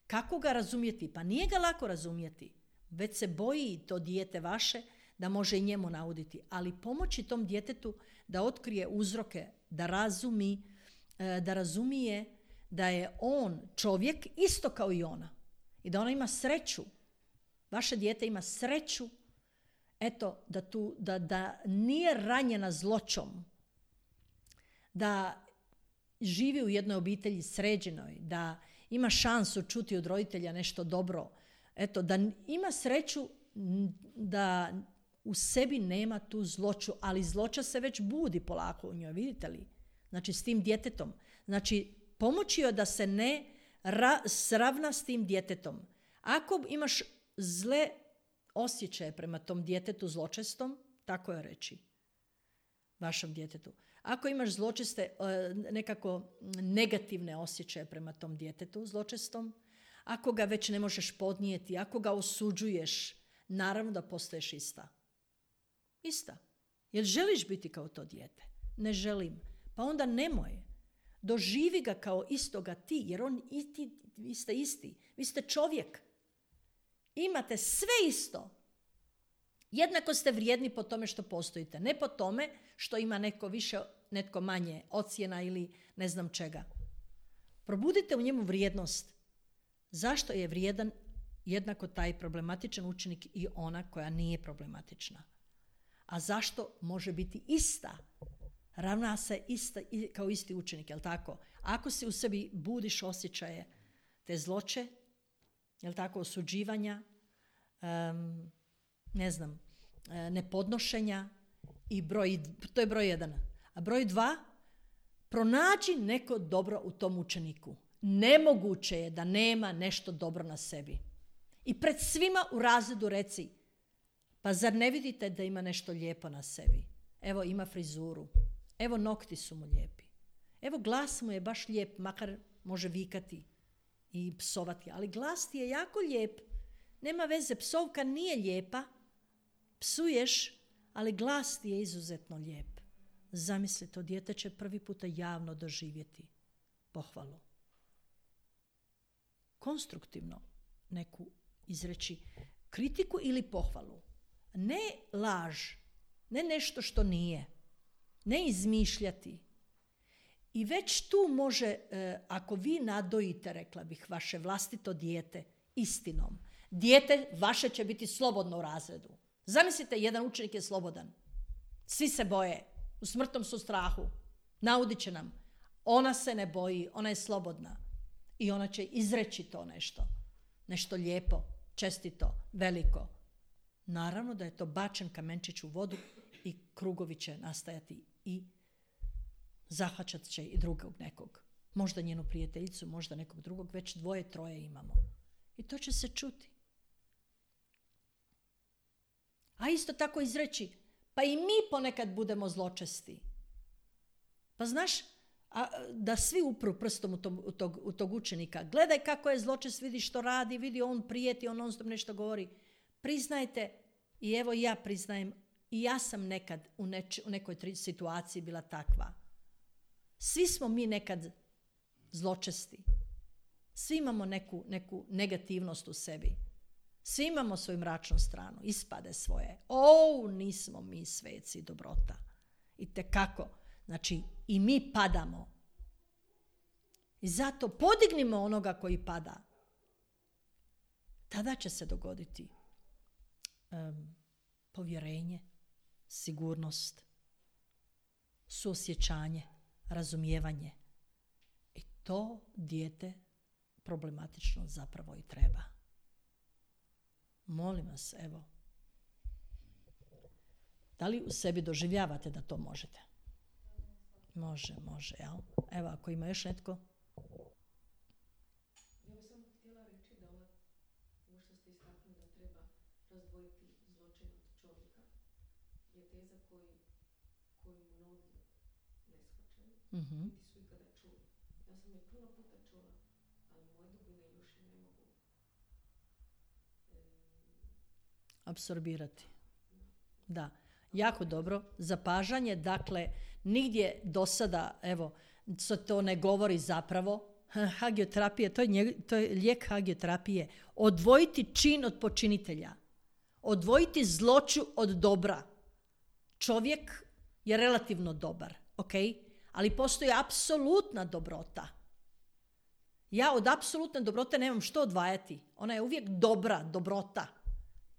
A: Kako ga razumjeti? Pa nije ga lako razumjeti. Već se boji to dijete vaše da može i njemu nauditi. Ali pomoći tom djetetu da otkrije uzroke, da razumije da je on čovjek isto kao i ona. I da ona ima sreću. Vaše dijete ima sreću, eto, da nije ranjena zloćom, da živi u jednoj obitelji sređenoj, da ima šansu čuti od roditelja nešto dobro, eto, da ima sreću da u sebi nema tu zloću, ali zloća se već budi polako u njoj, vidite li? Znači, s tim djetetom. Znači, pomoći joj da se ne sravna s tim djetetom. Ako imaš zle osjećaje prema tom djetetu zločestom, tako je reći, vašem djetetu. Ako imaš zločeste, nekako negativne osjećaje prema tom djetetu zločestom, ako ga već ne možeš podnijeti, ako ga osuđuješ, naravno da postaješ ista. Ista. Jer želiš biti kao to dijete? Ne želim. Pa onda nemoj. Doživi ga kao istoga ti, jer vi ste isti. Vi ste čovjek. Imate sve isto. Jednako ste vrijedni po tome što postojite. Ne po tome što ima neko više, netko manje ocjena ili ne znam čega. Probudite u njemu vrijednost. Zašto je vrijedan jednako taj problematičan učenik i ona koja nije problematična? A zašto može biti ista? Ravna se ista, kao isti učenik, jel tako? Ako si u sebi budiš osjećaje te zloće, jel tako, osuđivanja, nepodnošenja i to je broj 1. A broj 2, pronađi neko dobro u tom učeniku. Nemoguće je da nema nešto dobro na sebi. I pred svima u razredu reci, pa zar ne vidite da ima nešto lijepo na sebi? Evo, ima frizuru. Evo, nokti su mu lijepi. Evo, glas mu je baš lijep, makar može vikati i psovati. Ali glas ti je jako lijep. Nema veze, psovka nije lijepa. Psuješ, ali glas ti je izuzetno lijep. Zamisli, to dijete će prvi puta javno doživjeti pohvalu. Konstruktivno neku izreći kritiku ili pohvalu. Ne laž, ne nešto što nije. Ne izmišljati. I već tu može, ako vi nadojite, rekla bih, vaše vlastito dijete istinom, dijete vaše će biti slobodno u razredu. Zamislite, jedan učenik je slobodan. Svi se boje. U smrtnom su strahu. Naudit će nam. Ona se ne boji, ona je slobodna. I ona će izreći to nešto. Nešto lijepo, čestito, veliko. Naravno da je to bačen kamenčić u vodu i krugovi će nastajati i zahvaćat će i drugog nekog. Možda njenu prijateljicu, možda nekog drugog, već 2, 3 imamo. I to će se čuti. A isto tako izreći, pa i mi ponekad budemo zločesti. Pa znaš, da svi upru prstom u tog učenika. Gledaj kako je zločest, vidi što radi, vidi on prijeti, on non-stop nešto govori. Priznajte, i evo ja priznajem, i ja sam nekad u nekoj situaciji bila takva. Svi smo mi nekad zločesti. Svi imamo neku negativnost u sebi. Svi imamo svoju mračnu stranu, ispade svoje. Nismo mi sveci dobrota. I tekako. Znači, i mi padamo. I zato podignimo onoga koji pada. Tada će se dogoditi povjerenje, sigurnost, suosjećanje, razumijevanje. I to dijete problematično zapravo i treba. Molim vas, evo. Da li u sebi doživljavate da to možete? Može, jel? Evo, ako ima još netko.
C: Ja bih samo htjela reći da ovo što ste istaknuli da treba razdvojiti zločin od čovjeka je teza koju mnogi ne shvaćaju, niti su ikada čuli. Ja sam je puno puta čula, ali moje dubine još je ne mogu
A: apsorbirati. Da, jako dobro. Zapažanje, dakle, nigdje do sada, evo, to ne govori zapravo. Hagioterapija, to je lijek hagioterapije. Odvojiti čin od počinitelja. Odvojiti zloću od dobra. Čovjek je relativno dobar, ok? Ali postoji apsolutna dobrota. Ja od apsolutne dobrote nemam što odvajati. Ona je uvijek dobrota.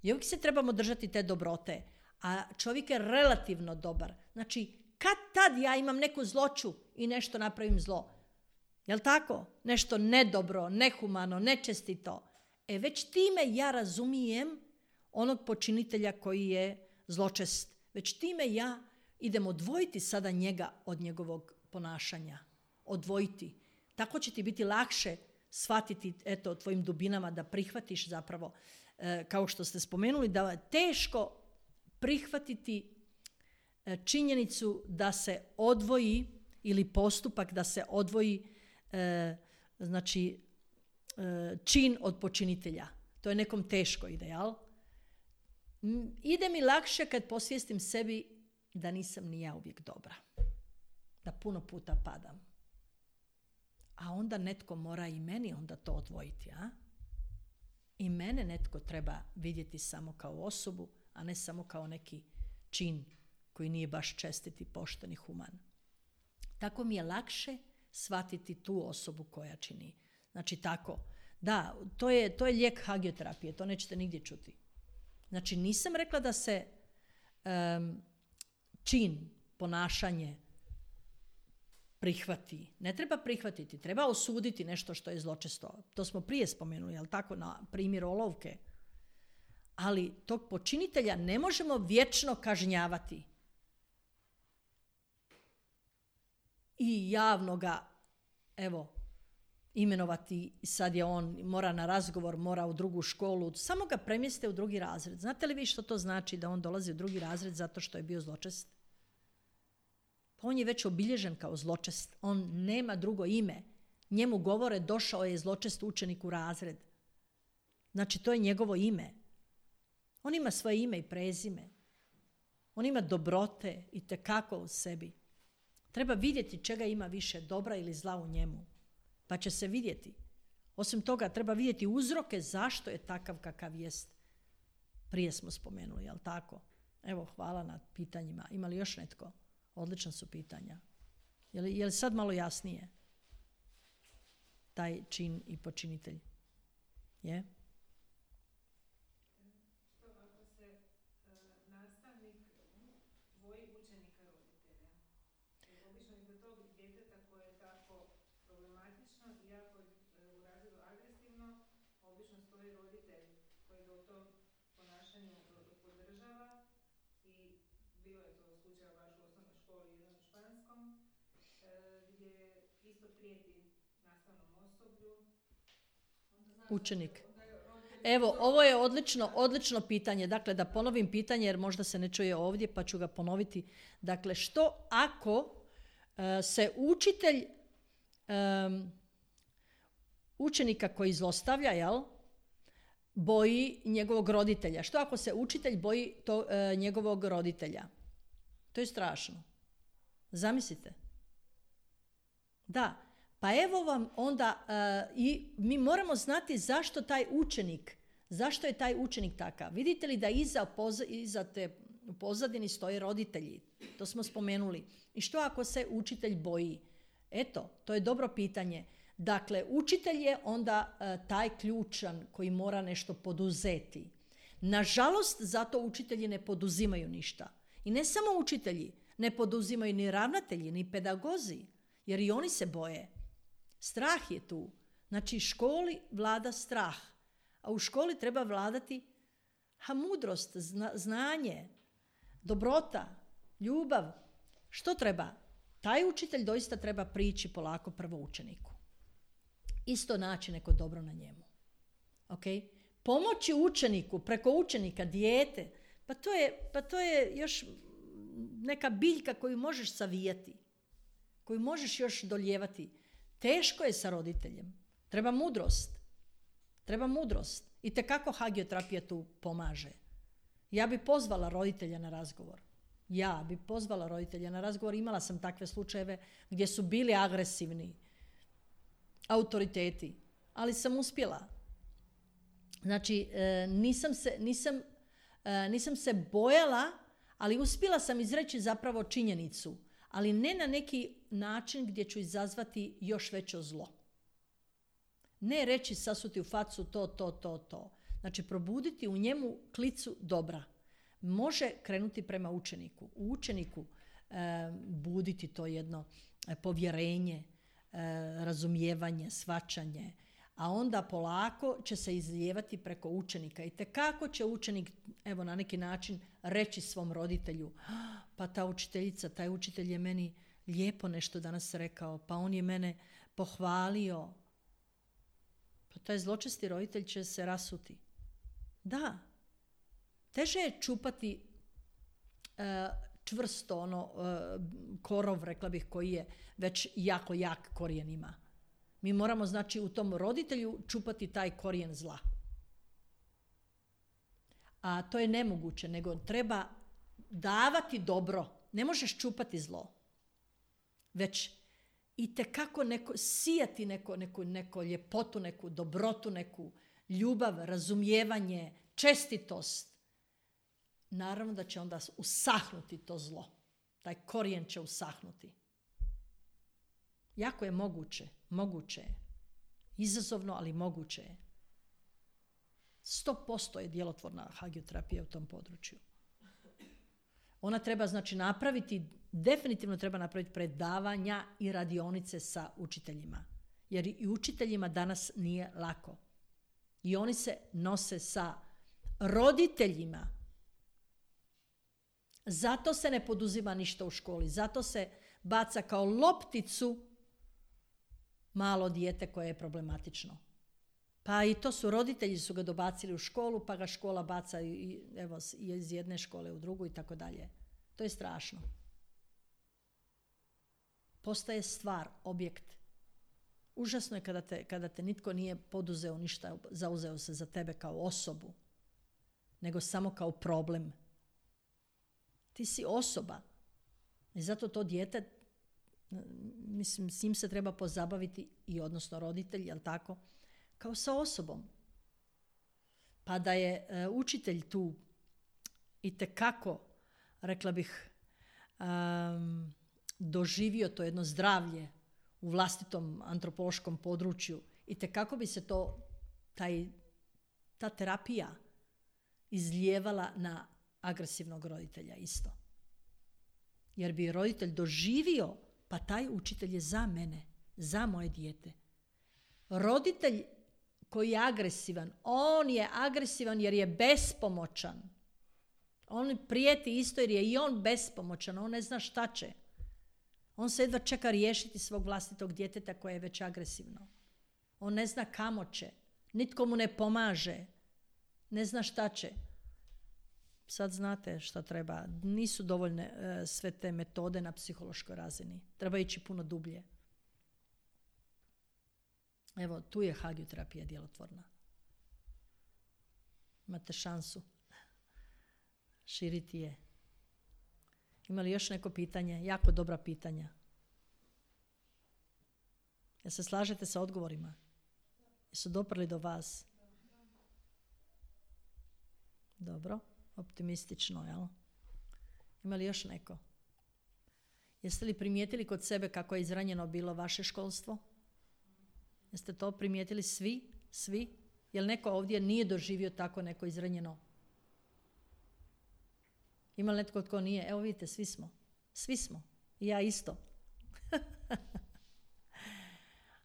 A: I uvijek se trebamo držati te dobrote. A čovjek je relativno dobar. Znači, kad tad ja imam neku zloću i nešto napravim zlo. Jel' tako? Nešto nedobro, nehumano, nečestito. Već time ja razumijem onog počinitelja koji je zločest. Već time ja idem odvojiti sada njega od njegovog ponašanja. Odvojiti. Tako će ti biti lakše shvatiti, eto, tvojim dubinama, da prihvatiš zapravo, kao što ste spomenuli, da je teško prihvatiti činjenicu da se odvoji, ili postupak da se odvoji čin od počinitelja. To je nekom teško ide, jel? Ide mi lakše kad posvijestim sebi da nisam ni ja uvijek dobra. Da puno puta padam. A onda netko mora i meni onda to odvojiti, a? I mene netko treba vidjeti samo kao osobu, a ne samo kao neki čin koji nije baš čestit i pošten i human. Tako mi je lakše shvatiti tu osobu koja čini. Znači tako. Da, to je lijek hagioterapije, to nećete nigdje čuti. Znači nisam rekla da se čin, ponašanje prihvati. Ne treba prihvatiti, treba osuditi nešto što je zločesto. To smo prije spomenuli, jel tako, na primjer olovke. Ali tog počinitelja ne možemo vječno kažnjavati. I javno ga, evo, imenovati, sad je on, mora na razgovor, mora u drugu školu, samo ga premjeste u drugi razred. Znate li vi što to znači da on dolazi u drugi razred zato što je bio zločest? Pa on je već obilježen kao zločest. On nema drugo ime. Njemu govore došao je zločest učenik u razred. Znači to je njegovo ime. On ima svoje ime i prezime. On ima dobrote itekako u sebi. Treba vidjeti čega ima više, dobra ili zla u njemu. Pa će se vidjeti. Osim toga, treba vidjeti uzroke zašto je takav kakav jest. Prije smo spomenuli, jel tako? Evo, hvala na pitanjima. Ima li još netko? Odlična su pitanja. Je li sad malo jasnije? Taj čin i počinitelj. Je?
D: Što ako se nastavnik boji učenika roditelja? Jer obično iza tog djeteta koje je tako problematično i jako u razredu agresivno, obično stoji roditelj koji ga u tom ponašanju podržava i bilo je to slučaj baš u osnovnoj školi jedan u Španskom, gdje isto prijeti nastavnom osoblju.
A: Učenik. Evo, ovo je odlično pitanje. Dakle, da ponovim pitanje jer možda se ne čuje ovdje pa ću ga ponoviti. Dakle, što ako se učitelj učenika koji zlostavlja, jel, boji njegovog roditelja? Što ako se učitelj boji njegovog roditelja? To je strašno. Zamislite. Da. Pa evo vam onda i mi moramo znati zašto je taj učenik takav. Vidite li da iza te u pozadini stoje roditelji? To smo spomenuli. I što ako se učitelj boji? Eto, to je dobro pitanje. Dakle, učitelj je onda taj ključan koji mora nešto poduzeti. Nažalost, zato učitelji ne poduzimaju ništa. I ne samo učitelji, ne poduzimaju ni ravnatelji, ni pedagozi, jer i oni se boje. Strah je tu. Znači, školi vlada strah. A u školi treba vladati mudrost, znanje, dobrota, ljubav. Što treba? Taj učitelj doista treba prići polako prvo učeniku. Isto naći neko dobro na njemu. Okay? Pomoći učeniku, preko učenika, dijete, pa to je još neka biljka koju možeš savijati, koju možeš još dolijevati. Teško je sa roditeljem. Treba mudrost. I tekako hagioterapija tu pomaže. Ja bi pozvala roditelja na razgovor. Imala sam takve slučajeve gdje su bili agresivni autoriteti, ali sam uspjela. Znači, nisam se bojala, ali uspjela sam izreći zapravo činjenicu, ali ne na neki način gdje ću izazvati još veće zlo. Ne reći sasuti u facu to. Znači, probuditi u njemu klicu dobra. Može krenuti prema učeniku. U učeniku buditi to jedno povjerenje, razumijevanje, shvaćanje, a onda polako će se izlijevati preko učenika. I tekako će učenik, evo, na neki način reći svom roditelju, pa ta učiteljica, taj učitelj je meni lijepo nešto danas rekao, pa on je mene pohvalio. taj zločesti roditelj će se rasuti. Da. Teže je čupati čvrsto korov, rekla bih, koji je već jako jak korijen ima. Mi moramo, znači, u tom roditelju čupati taj korijen zla. A to je nemoguće, nego treba davati dobro. Ne možeš čupati zlo. Već itekako sijati neku ljepotu, neku dobrotu, neku ljubav, razumijevanje, čestitost. Naravno da će onda usahnuti to zlo. Taj korijen će usahnuti. Jako je moguće. Moguće je. Izazovno, ali moguće je. 100% je djelotvorna hagioterapija u tom području. Ona treba, znači, definitivno treba napraviti predavanja i radionice sa učiteljima. Jer i učiteljima danas nije lako. I oni se nose sa roditeljima. Zato se ne poduzima ništa u školi. Zato se baca kao lopticu malo dijete koje je problematično. Pa i to roditelji su ga dobacili u školu, pa ga škola baca iz jedne škole u drugu i tako dalje. To je strašno. Postaje stvar, objekt. Užasno je kada te nitko nije poduzeo ništa, zauzeo se za tebe kao osobu, nego samo kao problem. Ti si osoba. I zato to dijete, mislim, s njim se treba pozabaviti i odnosno roditelj, jel tako, kao sa osobom. Pa da je učitelj tu itekako, rekla bih, doživio to jedno zdravlje u vlastitom antropološkom području, itekako bi se ta terapija izlijevala na agresivnog roditelja isto. Jer bi roditelj doživio, pa taj učitelj je za mene, za moje dijete. Roditelj koji je agresivan, on je agresivan jer je bespomoćan. On prijeti isto jer je i on bespomoćan, on ne zna šta će. On se jedva čeka riješiti svog vlastitog djeteta koje je već agresivno. On ne zna kamo će, nitko mu ne pomaže, ne zna šta će. Sad znate šta treba. Nisu dovoljne sve te metode na psihološkoj razini. Treba ići puno dublje. Evo, tu je hagioterapija djelotvorna. Imate šansu širiti je. Ima li još neko pitanje? Jako dobra pitanja. Jel se slažete sa odgovorima? Jesu doprli do vas? Dobro. Optimistično, jel? Ima li još neko? Jeste li primijetili kod sebe kako je izranjeno bilo vaše školstvo? Jeste to primijetili svi? Svi? Jel neko ovdje nije doživio tako neko izranjeno? Ima li netko tko nije? Evo vidite, svi smo. Svi smo. I ja isto.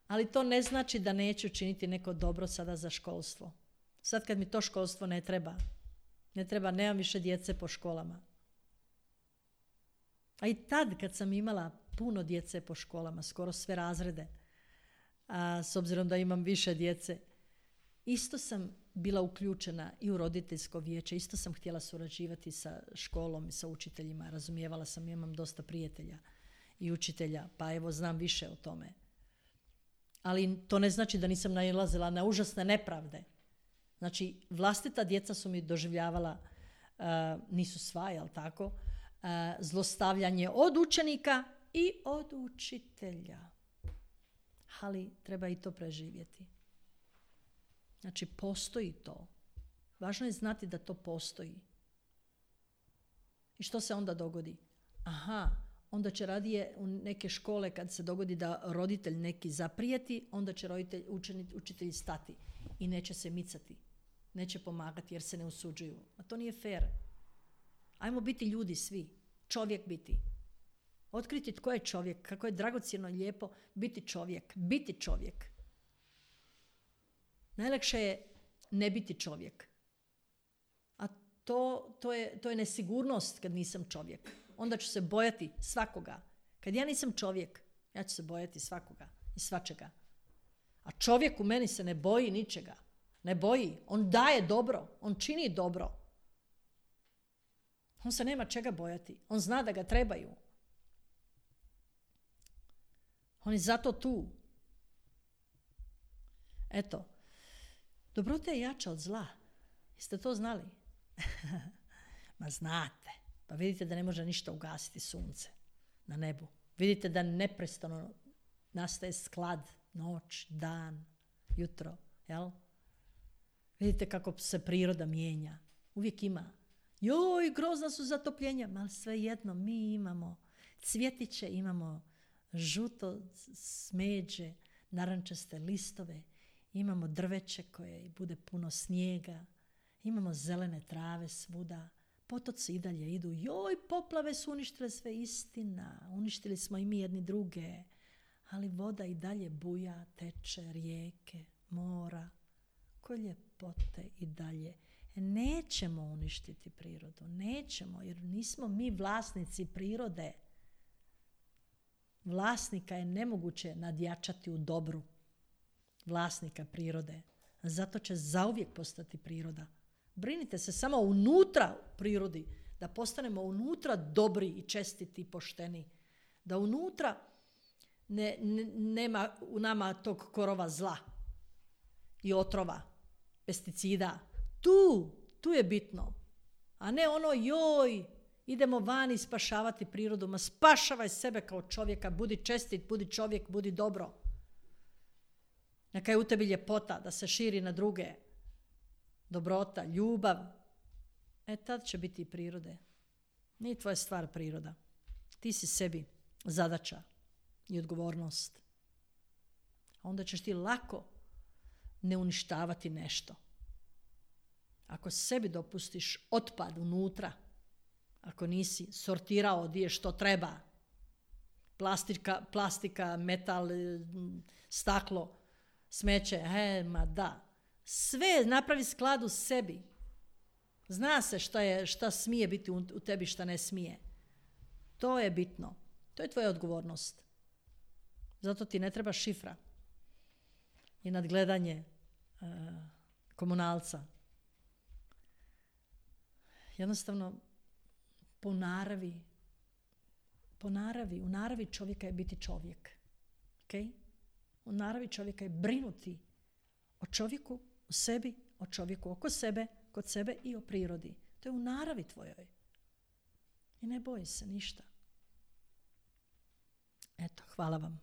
A: Ali to ne znači da neću činiti neko dobro sada za školstvo. Sad kad mi to školstvo ne treba, nemam više djece po školama. A i tad kad sam imala puno djece po školama, skoro sve razrede, s obzirom da imam više djece, isto sam bila uključena i u roditeljsko vijeće, isto sam htjela surađivati sa školom i sa učiteljima, razumijevala sam, imam dosta prijatelja i učitelja, pa evo znam više o tome. Ali to ne znači da nisam nailazila na užasne nepravde. Znači, vlastita djeca su mi doživljavala, nisu sva, jel tako, zlostavljanje od učenika i od učitelja. Ali treba i to preživjeti. Znači, postoji to. Važno je znati da to postoji. I što se onda dogodi? Onda će radije u neke škole kad se dogodi da roditelj neki zaprijeti, onda će učitelji stati i neće se micati. Neće pomagati jer se ne usuđuju. A to nije fair. Ajmo biti ljudi svi. Čovjek biti. Otkriti tko je čovjek. Kako je dragocjeno i lijepo biti čovjek. Biti čovjek. Najlakše je ne biti čovjek. A to je nesigurnost kad nisam čovjek. Onda ću se bojati svakoga. Kad ja nisam čovjek, ja ću se bojati svakoga i svačega. A čovjek u meni se ne boji ničega. Ne boji. On daje dobro. On čini dobro. On se nema čega bojati. On zna da ga trebaju. On je zato tu. Eto. Dobrota je jača od zla. Jeste to znali? Ma znate. Pa vidite da ne može ništa ugasiti sunce na nebu. Vidite da neprestano nastaje sklad, noć, dan, jutro. Jel? Vidite kako se priroda mijenja. Uvijek ima. Joj, grozna su zatopljenja. Ma svejedno, mi imamo cvjetiće, imamo žuto smeđe, narančaste listove, imamo drveće koje bude puno snijega, imamo zelene trave svuda, potoci i dalje idu. Joj, poplave su uništile sve, istina. Uništili smo i mi jedni druge. Ali voda i dalje buja, teče, rijeke, mora. Koje ljepote i dalje. Nećemo uništiti prirodu. Nećemo, jer nismo mi vlasnici prirode. Vlasnika je nemoguće nadjačati u dobru. Vlasnika prirode. Zato će zauvijek postati priroda. Brinite se samo unutra u prirodi. Da postanemo unutra dobri i čestiti i pošteni. Da unutra nema u nama tog korova zla i otrova, pesticida. Tu je bitno. A ne ono joj, idemo vani spašavati prirodu. Ma spašavaj sebe kao čovjeka, budi čestit, budi čovjek, budi dobro. Neka je u tebi ljepota da se širi na druge. Dobrota, ljubav. Tad će biti i prirode. Nije tvoja stvar priroda. Ti si sebi zadaća i odgovornost. A onda ćeš ti lako ne uništavati nešto. Ako sebi dopustiš otpad unutra, ako nisi sortirao gdje što treba, plastika, metal, staklo, smeće, ma da. Sve napravi sklad u sebi. Zna se šta smije biti u tebi, šta ne smije. To je bitno. To je tvoja odgovornost. Zato ti ne treba šifra i nadgledanje komunalca. Jednostavno, u naravi čovjeka je biti čovjek. Okay? U naravi čovjeka je brinuti o čovjeku, u sebi, o čovjeku oko sebe, kod sebe i o prirodi. To je u naravi tvojoj. I ne boji se ništa. Eto, hvala vam.